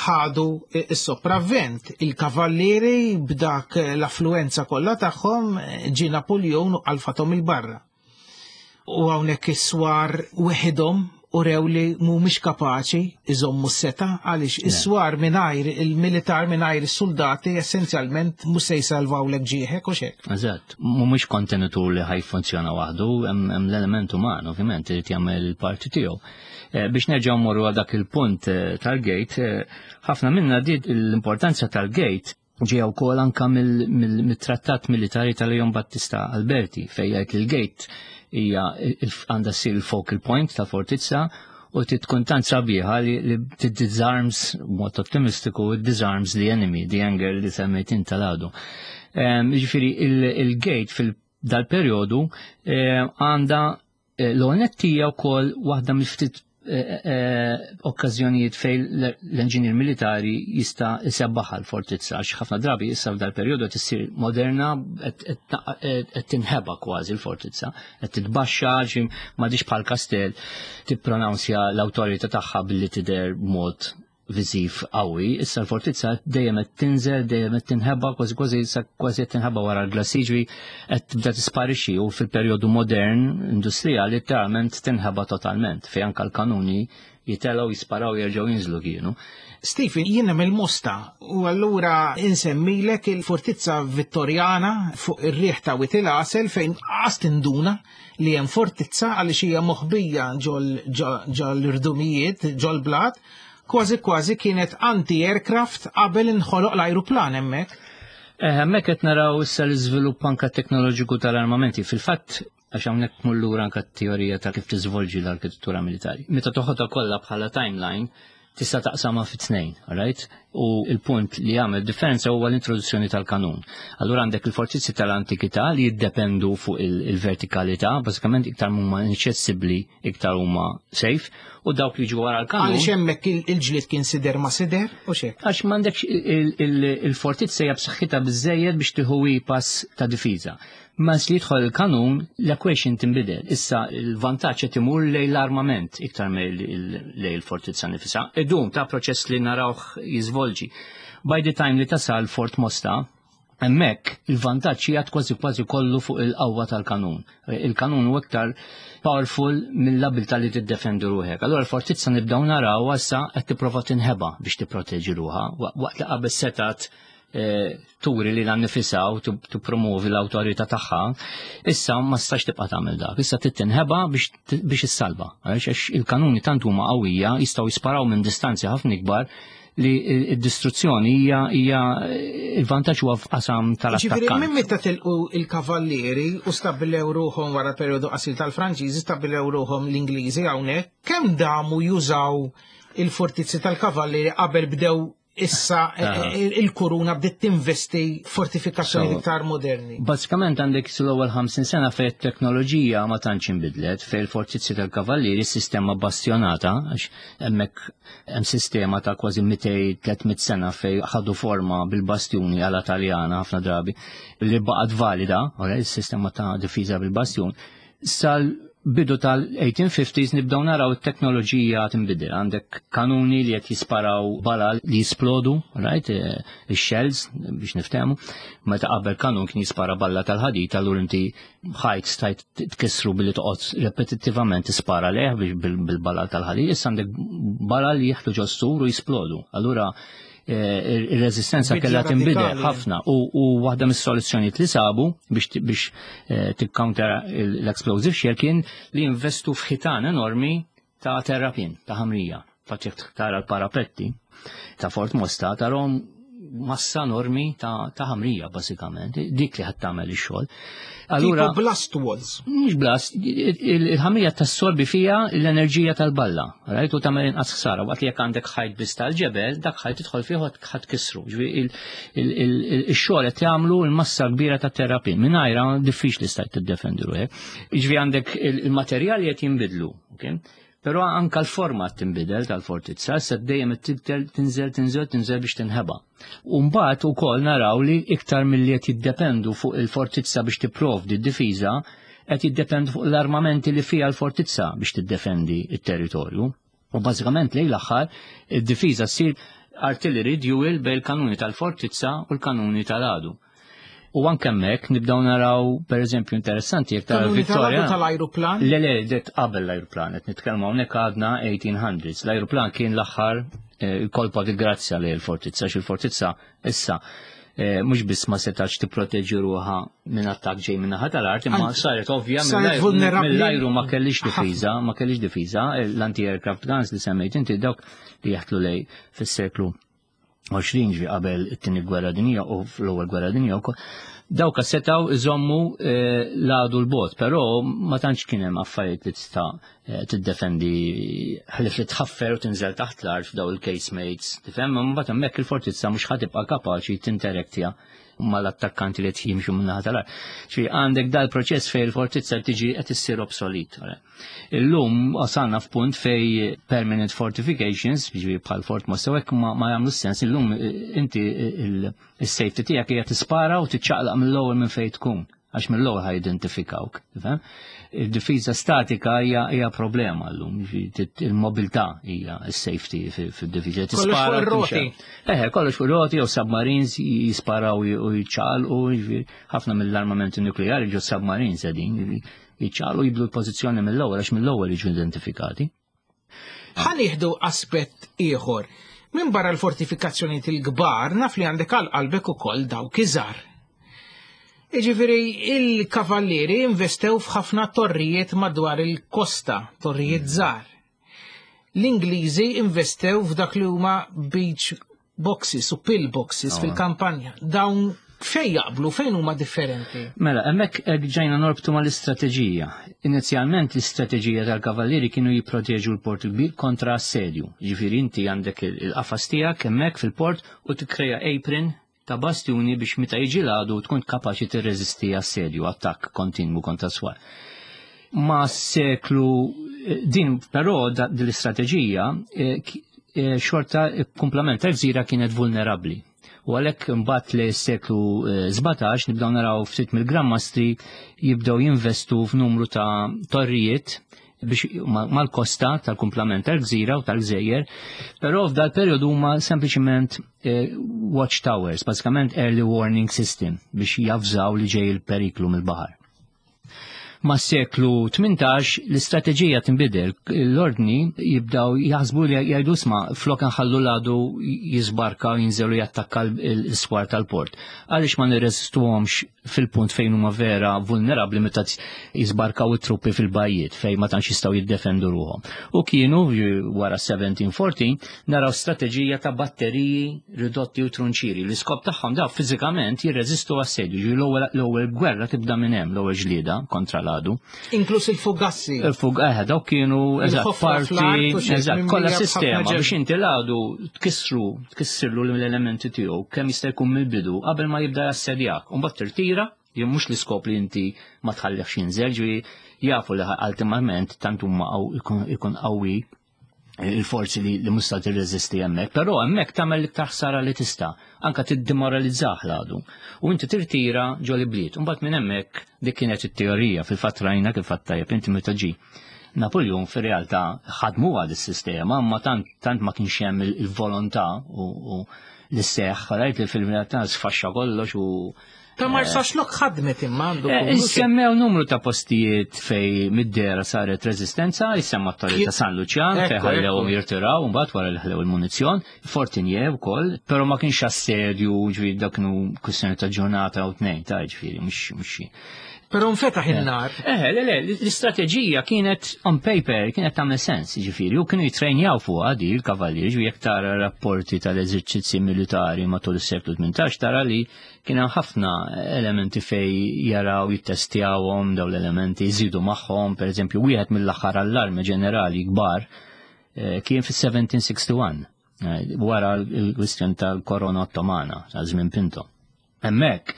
ħadu s-sopravvent. Il-kavallieri b'dak l-affluenza kollha tagħhom, ġie Napoleon u qalfathom il-barra. U hawnhekk is-swar weħidhom u rew li mhumiex kapaċi iżommu s-seta, għaliex is-swar mingħajr il-militar, mingħajr is-soldati, essenzjalment mhux se jsalvawlek ġieħek u xek. Eżatt, mhumiex kontenitur li ħaj funzjona waħdu, hemm hemm l-element uman, ovvjament, irid jagħmel il-parti tiegħu. Eh, biex nerġgħu mmorru għal dak il-punt eh, tal-gate, eh, ħafna minna di l-importanza tal-gate Ġeja wkoll anka mill-trattat militari tal-Leon Battista Alberti, fejn jgħid li l-gate hija għandha ssir il-focal point ta' fortizza u tkun tant sabiħa li, li disarms, mod ottimistiku, disarms the enemy, the anger li semmejt inta l-għadu. Ġifieri il-gate fil-dal-periodu għandha l-onettija wkoll waħda mill-ftit okkażjonijiet fejn l-enġinier militari jista' jsebbaħha l-fortizza, għax ħafna drabi issa f'dal perjodu qed issir moderna, qed tinħeba kważi l-fortizza, qed titbaxxa, m'għadix bħal kastell tippronunzja l-awtorità tagħha billi tidher b'mod viżiv qawwi. Issa l-fortizza dejjem qed tinżel, dejjem qed tinħeba, kważi kważi kważi qed tinħeba wara l-glassiġri, qed tibda tisparixxi u fil-perjodu modern industrijali letteralment tinħeba totalment, fejn anke l-kanuni jitelgħu, jisparaw, jerġgħu jinżlu kienu. Stephen, jiena mill-Mosta u allura insemmilek il-fortizza Vittorjana fuq ir-riħ ta' Wied il-Għasel, fejn qas tinduna li hemm fortizza għaliex hija moħbija ġol ġol-irdumijiet, ġol-blat, kważi kważi kienet anti-aircraft qabel inħoloq l-ajruplan hemmhekk. Hemmhekk qed naraw issa l-iżvilupp anke teknoloġiku tal-armamenti. Fil-fatt, għax hawnhekk mullura anke t-teorija ta' kif tiżvolġi l-arkitettura militari. Meta toħodha kollha bħala timeline, tista' taqsamha fi tnejn, right? U il-punt li jagħmel differenza huwa l-introduzzjoni tal-kanun. Allura għandek il-fortizzi tal-antikità li jiddependu fuq il-vertikalità, bażikament iktar huma inaċċessibbli, iktar huma safe, u dawk li ġu wara l-kanun. Għaliex hemmhekk il-ġlied kien sider ma' sider u xek? Għax m'għandekx il-fortizza hija b'saħħitha biżejjed biex tieħu pass ta' difiża. Ma li jidħol il-kanun, l-equation tinbidel. Issa il-vantaġġ qed imur lejn l-armament iktar lejn il-fortizza nifisha. Idum ta' proċess li narawh jiżvolġi. By the time li tasal Fort Mosta, hemmhekk il-vantaġġ jgħad kważi kważi kollu fuq il-qawwa tal-kanun. Il-kanun huwa iktar powerful mill-abilità li tiddefendi ruħek. Allura l-fortizza nibdew naraw issa qed tipprova tinħeba biex tipproteġi ruħha, waqt li qabel setat turi li l-annifisa u tippromovi l-awtorità tagħha, issa ma stax tibqa' tagħmel dak. Issa tittinħeba biex issalva. Għaliex il-kanuni tant huma qawwija, jistgħu jisparaw minn distanzi ħafna ikbar li d-distruzzjoni hija hija il-vantaġġ huwa f'qasam tal-attakkant. Ġifieri minn meta tilqu il-kavallieri u stabbilew ruħhom wara perjodu qasir tal-Franċiżi, stabbilew ruħhom l-Ingliżi hawnhekk, kemm damu jużaw il-fortizzi tal-kavallieri qabel bdew issa il-kuruna bdiet tinvesti fortifikazzjoni iktar moderni? Bażikament għandek l-ewwel ħamsin sena fejn it-teknoloġija ma tantx inbidlet, fejn il-fortizzi tal-kavallieri sistema bastionata, għax hemmhekk hemm sistema ta' kważi mitejn tliet mitt sena fejn ħadu forma bil-bastjuni għala Taljana ħafna drabi li baqgħet valida, ora il-sistema ta' difiża bil-bastjun. Sal bidu tal-eighteen fifties nibdew naraw it-teknoloġija tinbidel. Għandek kanuni li qed jisparaw balal li jisplodu, right? Ix-shells biex niftehmu. Meta qabel kanun kien jispara balla tal-ħadid, allura inti ħajt stajt tkissru billi toqgħod repetittivament tispara leh bil-balal tal-ħadid. Issa għandek balal li jieħdu ġo s-sur u jisplodu. Allura ir-reżistenza Bidla kellha tinbidel radikali. ħafna u, u waħda mis-soluzzjonijiet li sabu biex t-, biex, eh, tikkounter l-explosive shell kien li jinvestu f'ħitan enormi ta' terrapin, ta' ħamrija. Fatt jekk tara l-parapetti ta' Fort Mosta tarahom massa enormi ta', ta' ħamrija bażikament, dik li ħadd tagħmel ix-xogħol. Allura Tipo blast walls. Mhux blast, il-ħamrija tassorbi fija l-enerġija tal-balla, right? U tagħmel inqas ħsara, waqt li jekk għandek ħajt biss tal-ġebel, dak ħajt tidħol fih u ħadd kisru. Ġifieri il-, il-, il-, ix-xogħol qed jagħmlu l-massa kbira ta' terrapin, mingħajra diffiċli stajt tiddefendi ruħek. Ġifieri għandek il-materjali qed jinbidlu, okay? Però anka l-format tinbidel tal-fortizza, issa dejjem tibdel tinżel, tinżel, tinżel biex tinħeba. U mbagħad ukoll naraw li iktar milli qed jiddependu fuq il-fortizza biex tipprovdi d-difiża, qed jiddependu fuq l-armamenti li fiha l-fortizza biex tiddefendi t-territorju. U bażikament lejn l-aħħar id-difiża ssir artillery duel bejn il-kanuni tal-fortizza u l-kanuni tal-għadu. U anke hemmhekk nibdew naraw, pereżempju, interessanti jekk tara Kanuni tal-għadu Vittoria. tal-ajruplan? Le, le, det qabel l-ajruplan, qed nitkellmu hawnhekk għadna eighteen hundreds. L-ajruplan kien l-aħħar, eh, kolpa di grazzja lejn il-fortizza, għax il-fortizza issa, eh, mhux biss ma setax tipproteġi ruħha minn attakk ġej minn naħa tal-art, imma Anzi, saret ovvja saret mill-ajru, vulnerabbli. mill-ajru ma kellix Ħafna. difiża, ma kellix difiża, l-anti-aircraft guns li semmejt inti dawk li jaħtlu lej fis-seklu għoxrin, ġifieri qabel it-tieni gwerra dinjija u fl-ewwel gwerra dinjija wkoll. Dawk setgħu iżommu eh, l-għadu 'l bogħod, però ma tantx kien hemm affarijiet li tista' eh, tiddefendi ħlief li tħaffer u tinżel taħt l-art f'daw il-casemates. Tifhem, mbagħad hemmhekk il-fortizza mhux ħa tibqa' kapaċi tinteraktja mal-attakkanti li jimxu minn tal-art. Ġifieri għandek dal-proċess fej il-fortizza tiġi qed issir obsolet. Illum wasalna f'punt fej permanent fortifications, ġifieri bħal Fort Mossa, hekk ma, ma jagħmlu sens. Illum eh, inti il-safety tiegħek hija tispara u tiċċaqlaq mill-ewwel minn fejn tkun, għax mill-ewwel ħa jidentifikawk, tifhem? Il-difiża statika hija hija problema llum, ġifieri il-mobilità hija s-safety fid-difiża. Kollox fuq ir-roti. Eħe, kollox fuq roti jew submarines jisparaw u jiċċaqalqu, ġifieri ħafna mill-armamenti nukleari ġo submarines qegħdin, ġifieri jiċċaqalqu, jibdlu l-pożizzjoni mill-ewwel, għax mill-ewwel jiġu identifikati. Ħa nieħdu aspett ieħor. Min barra l-fortifikazzjonijiet il-kbar, naf li għandek għal qalbek ukoll dawk iżgħar. Iġifieri il-kavallieri investew f'ħafna torrijiet madwar il-kosta, torrijiet żgħar. L-Ingliżi investew f'dak li huma beach boxes u pill boxes fil-kampanja. Dawn fejn jaqblu, fejn huma differenti? Mela, hemmhekk hekk ġejna norbtu mal-istrateġija. Inizjalment l-istrateġija tal-kavallieri kienu jipproteġu l-port kbir kontra assedju. Ġifieri inti għandek il-qafas tiegħek hemmhekk fil-port u tikkreja apron ta' bastjuni biex meta jiġi l-għadu tkun kapaċi tirreżisti assedju, attakk kontinwu kontra swar. Ma seklu din però din l-istrateġija eh, eh, xorta kumplament tal-gżira kienet vulnerabbli. U għalhekk imbagħad li s-seklu sbatax nibdew naraw ftit mill-Granmastri jibdew jinvestu f'numru ta' torrijiet biex mal-kosta tal-kumplament tal-gżira u tal-gżejjer, però f'dal periodu huma sempliċement eh, watch towers, bażikament early warning system biex javżaw li ġej il-periklu mill-baħar. Ma' seklu tmintax l-istrateġija tinbidel, l-ordni jibdaw jaħsbu li jgħidu, "Isma', flok nħallu l-għadu jisbarka u jinżelu jattakka l-swar tal-port. Għaliex ma nirreżistuhomx fil-punt fejn huma vera vulnerabbli, meta jisbarkaw it-truppi fil-bajjiet fejn ma tantx jistgħu jiddefendu ruhom?" U kienu wara seventeen fourteen naraw strateġija ta' batteriji ridotti u trunċiri. L-iskop tagħhom daw fiżikament jirreżistu assedju. L-ewwel gwerra tibda minn hemm, l-ewwel ġlieda kontra l-għadu. Inkluż il-fugassi. Il-fug, eh, dawk kienu eżatt parti, eżatt, kollha sistema biex inti l-għadu tkissru, tkissirlu l-elementi tiegħu kemm jista' jkun mill-bidu qabel ma jibda jassedjak. U mbagħad tirtira, jien mhux l-iskop li inti ma tħallihx jinżel, ġifieri jafu li ultimament tant huma ikun qawwi il-forzi li, li musta tirreżisti hemmhekk, però hemmhekk tagħmel l-iktar ħsara li tista', anka tiddemoralizzah l-għadu. U inti tirtira ġo l-ibliet, u mbagħad minn hemmhekk, dik kienet it-teorija, fil-fatt rajna kif fatt tajjeb inti meta ġi Napoleon, fir-realtà ħadmu għad is-sistema, ma tant, tant ma kienx hemm il-volontà u, u l-seħ, rajt li fil-realtà sfaxxa kollox u Ta' Marsaxlokk ħadmet imma għandu. Eh, Semmew numru ta' postijiet fej mid-dera saret rezistenza, jissemma t-torri ta' San Lucian, fej ħallewhom jirtiraw, mbagħad wara li ħallew il-munizzjon, Fortinier wkoll, però ma kienx assedju, ġifieri dak kienu kwistjoni ta' ġurnata u tnejn, ta' ġifieri mhux mhux Però nfetaħ in-nar. Eh, le, le, l-istrateġija kienet on paper, kienet tagħmel sens, ġifieri, u kienu jitrejnjaw fuq għadi il-kavallieri, ġifieri jekk tara rapporti tal-eżerċizzi militari matul is-seklu tmintax tara li kien hemm ħafna elementi fej jaraw jittestjawhom daw l-elementi, jżidu magħhom, per eżempju, wieħed mill-aħħar allarmi ġenerali kbar eh, kien fis-seventeen sixty-one eh, wara l-kwistjoni tal-korona ottomana, ta' żmien Pinto. Hemmhekk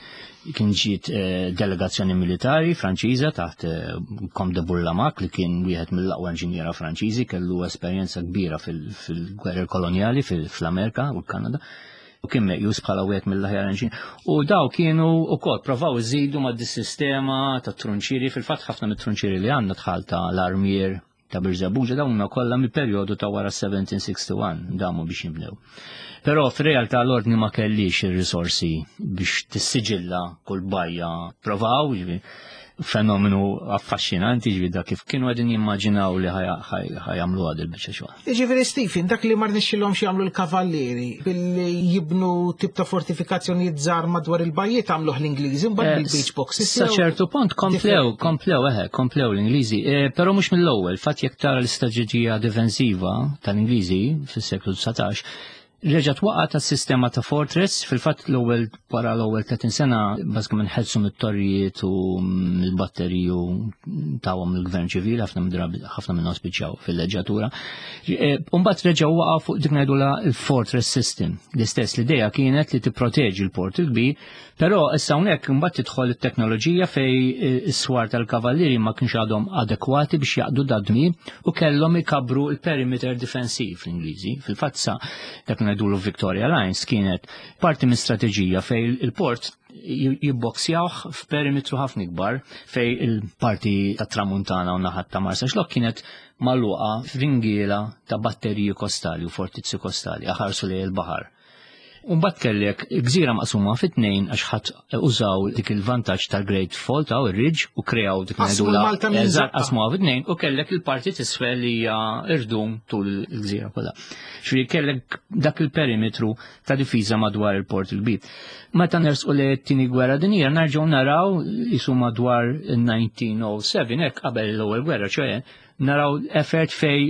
kien ġiet eh, delegazzjoni militari Franċiża taħt Comte de Bourlamaque, li kien wieħed mill-aqwa inġiniera Franċiżi, kellu esperjenza kbira fil-gwerra kolonjali fl-Amerika u l-Kanada u kien meqjus bħala wieħed mill-aħjar inġinier. U daw kienu wkoll provaw iżidu ma' dis-sistema ta' trunċiri, fil-fatt ħafna mit-trunċiri li għandna tħal ta' l-armier ta' Birżebbuġa dawn kollha mill-perjodu ta' wara seventeen sixty-one damu biex jibnew. Però fir-realtà l-ordni ma kellix ir-risorsi biex tissiġilla kull bajja. Provaw, fenomenu affaxxinanti, ġifieri da kif kienu qegħdin jimmaġinaw li ħa jagħmlu għad il-biċċa xogħol. Ġifieri Stephen, dak li ma rnexxilhomx jagħmlu l-kavallieri billi jibnu tip ta' fortifikazzjonijiet żgħar madwar il-bajjiet għamluh l-Ingliżi mbagħad eh, bil-beach boxes. Sa ċertu punt komplew, komplew, eħe, komplew l-Ingliżi, eh, però mhux mill-ewwel, fatt jekk tara l-istrateġija difensiva tal-Ingliżi fis-seklu dsatax, Reġgħet waqgħet tas-sistema ta' fortress, fil-fatt l-ewwel wara l-ewwel tletin sena bażikament ħelsu mit-torrijiet u mill-batteriji u tawhom il-gvern ċivili, ħafna drabi ħafna minnhom spiċċaw fil-leġġatura. Imbagħad reġgħu waqgħu fuq dik ngħidulha il-fortress system. L-istess l-idea kienet li tipproteġi l-port il-kbir, però issa hawnhekk imbagħad tidħol it-teknoloġija fej is-swar tal-kavallieri ma kienx għadhom adekwati biex jaqdu dad-dmir u kellhom ikabru il-perimeter difensiv l-Ingliżi. Fil-fatt sa dak ngħidulu Victoria Lines kienet parti minn strateġija fej il-port jibboksjawh f'perimetru ħafna ikbar fej il-parti ta' tramuntana u naħat ta' Marsaxlokk kienet magħluqa f'ringiela ta' batteriji kostali u fortizzi kostali aħarsu lejn il-baħar. Umbagħad kellek gżira maqsuma fit-tnejn għax ħadd użaw dik il-vantaġġ tal-Great Fault aw ir-Ridge u kreaw dik Qasmu Malta minn Eżatt, żaqqa. qasmuha fit-tnejn u kellek il-parti t'isfel li hija irdum tul il-gżira kollha. Ġifieri kellek dak il-perimetru ta' difiża madwar il-port il-kbir. Meta nersqu li t-tieni gwerra dinjija nerġgħu naraw jisu madwar il-elf disa' mija u sebgħa hekk qabel l-ewwel gwerra, ċoè naraw effort fej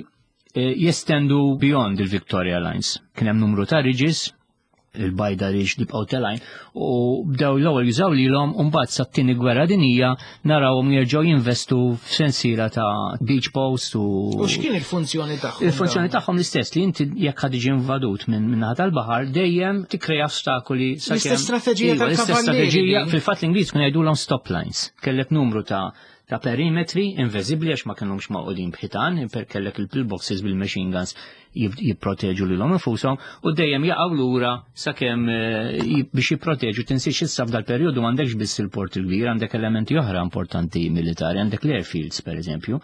eh, jestendu beyond il-Victoria Lines. Kien hemm numru ta' ridges, il-Bajda Ridge li bqgħu telgħin u bdew l-ewwel jużaw lilhom u mbagħad sat-tieni gwerra dinija narawhom jerġgħu jinvestu f'sensiela ta' beach post u U x'kien il-funzjoni tagħhom? Il-funzjoni tagħhom l-istess li inti jekk ħad tiġi invadut minn minn naħa tal-baħar dejjem tikkrea ostakoli sakemm- L-istess strateġija Iva, l-istess tal-kavallieri strateġija din. Fil-fatt l-Ingliż kienu jgħidulhom stop lines. Kellek numru ta' ta' perimetri inviżibbli għax ma kinux magħqudin b'ħitan, per kellek il-pillboxes bil-machine guns jib- jipproteġu lilhom infushom u dejjem jaqgħu lura sakemm eh, jib- biex jipproteġu. Tinsiex issa f'dal perjodu m'għandekx biss il-port il-kbir, għandek elementi oħra importanti militari, għandek l-airfields per eżempju,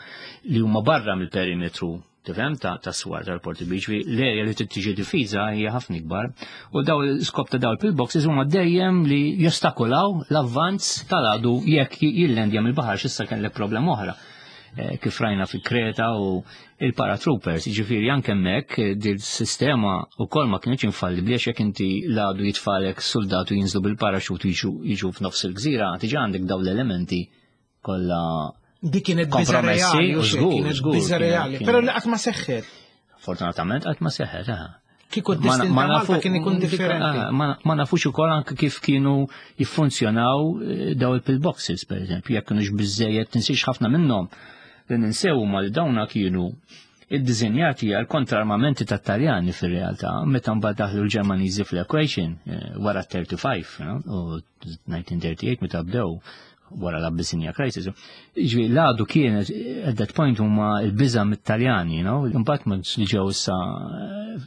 li huma barra mill-perimetru, tifhem, ta' ta' swar tal-port il-kbir, ġifieri l-area li trid tiġi difiża hija ħafna ikbar. U daw l-iskop ta' daw il-pillboxes huma dejjem li jostakolaw l-avvanz tal-għadu jekk jillendja mill-baħar x'issa kellek problema oħra. Eh, kif rajna fi Kreta u il-paratroopers, ġifieri anke hemmhekk eh, dil sistema u kol ma kienx infallibli għax jekk inti l-għadu jitfalek soldatu jinżlu bil-paraxut jiġu jiġu f'nofs il-gżira, diġà għandek daw l-elementi kollha Dik kienet biża kompromessi, reali, u u xejn, żgur, kienet żgur, biża kienet- reali. kienet- Però li qatt ma seħħet. Fortunatament qatt ma seħħet, aha. Kieku Ma- d-destin ma ta' Malta nafu- kien ikun dik- differenti. ah, Ma ma nafux ukoll anke kif kienu jiffunzjonaw eh, daw il-pillboxes, per eżempju, jekk kienux biżejjed, tinsiex ħafna minnhom li ninsew ma li dawna kienu id-dizinjati għal kontrarmamenti tat Taljani fil-realtà, meta mbagħad daħlu l-Ġermaniżi fl-equation eh, wara thirty-five, no? U elf disa' mija u tlieta u tletin meta bdew wara l-Abyssinia Crisis. Ġifieri, l-għadu kienet, at that point huma l-biża mit-Taljani, no? Imbagħad ma li ġew issa eh,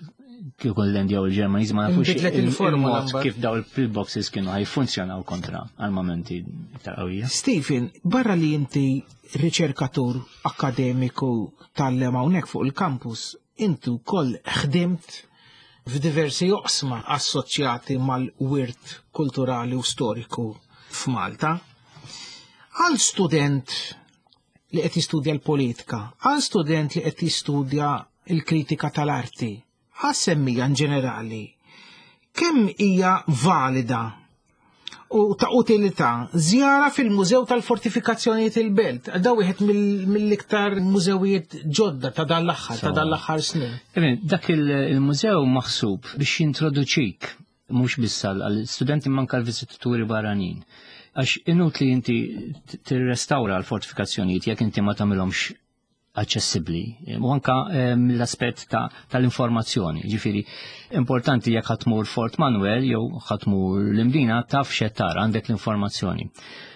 kieku l-Indja u l-Ġermaniżi ma nafux Inbidlet il-formula il-mod mbagħad. kif daw il-pillboxes kienu ħajfunzjonaw kontra armamenti iktar qawwija. Stephen, barra li inti riċerkatur akademiku tal-lem hawnhekk fuq il-campus, inti wkoll ħdimt f'diversi oqsma assoċjati mal-wirt kulturali u storiku f'Malta. Għal student li qed jistudja l-politika, għal student li qed jistudja l-kritika tal-arti, għas-semmija in ġenerali, kemm hija valida u ta' utilità żjara fil-Mużew tal-Fortifikazzjonijiet il-Belt? Da wieħed mill- mill-iktar mużewijiet ġodda ta' dan l-aħħar, ta' dan l-aħħar snin. Eben, dak il- il-mużew maħsub biex jintroduċik mhux biss għall-studenti manka l-viżitaturi barranin. Għax inutli inti tirrestawra l-fortifikazzjonijiet jekk inti ma tagħmilhomx aċċessibbli. U anka ehm, l-aspett ta' tal-informazzjoni. Ġifieri, importanti jekk ħa tmur Fort Manuel jew ħa tmur l-Imdina taf x'qed tara, għandek l-informazzjoni.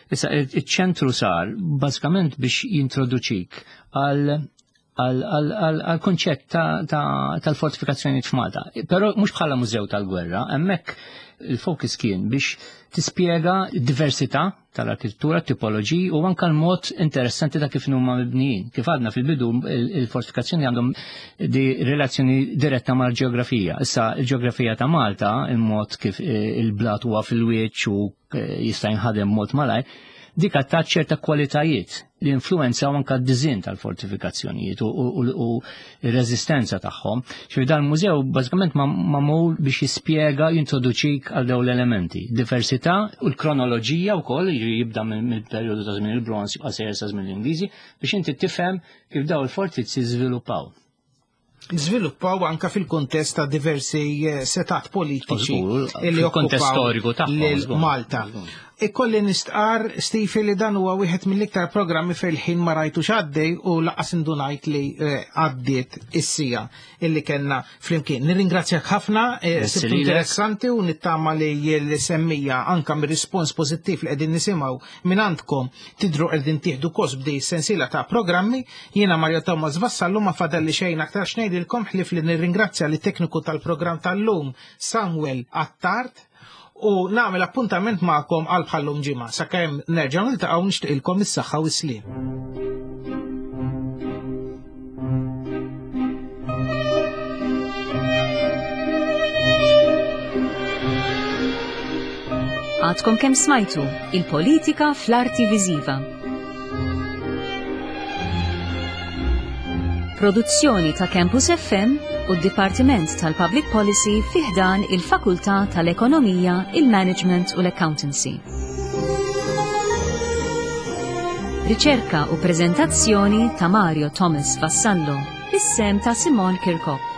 Issa, iċ-ċentru sar bażikament biex jintroduċik għal għal konċett tal-fortifikazzjoni f'Malta. Però mhux bħala mużew tal-gwerra, hemmhekk il-fokus kien biex tispjega diversità tal-arkitettura, tipoloġiji u anka l-mod interessanti ta' kif huma mibnijin. Kif għadna fil-bidu, il-fortifikazzjoni għandhom di relazzjoni diretta mal-ġeografija. Issa il-ġeografija ta' Malta, il-mod kif eh, il-blat huwa fil-wiċċ u eh, jista' jinħadem mod malaj, dik ta' ċerta kwalitajiet li influenzaw anka d-dizin tal-fortifikazzjonijiet u r-reżistenza tagħhom. Ġifieri dan mużew bażikament magħmul biex jispjega, jintroduċik għal dawn l-elementi. Diversità u l-kronoloġija wkoll jibda mill-perjodu ta' żmien il-bronz jibqa' sejjer sa żmien l-Ingliżi biex inti tifhem kif daw il-fortizzi żviluppaw. żviluppaw anka fil-kuntest ta' diversi eh, setat politiċi li okkupaw storiku tagħhom Malta. Ikolli nistqar, Stifi, li dan huwa wieħed mill-iktar programmi fejn ma rajtux għaddej u laqas indunajt li eh, għaddiet is-sija illi kellna flimkien. Nirringrazzjak ħafna, eh, sibtu interessanti u nittama li l-semmija anka mir-rispons pożittiv li qegħdin nisimgħu minn għandkom tidru qegħdin tieħdu kos b'di sensiela ta' programmi. Jiena Mario Thomas Vassallu, ma fadalli xejn aktar x'ngħidilkom ħlief li nirringrazzja li tekniku tal-programm tal-lum Samuel Attard u nagħmel appuntament magħkom għal bħallum ġimgħa. Sakemm nerġgħu niltaqgħu, nixtieqilkom is-saħħa u s-sliem. Għadkom kemm smajtu il-politika fl-arti viżiva. Produzzjoni ta' Campus F M u d-Dipartiment tal-Public Policy fi ħdan il-Fakultà tal-Ekonomija, il-Management u l-Accountancy. Riċerka u prezentazzjoni ta' Mario Thomas Vassallo, bis-sehem ta' Simon Kirkop.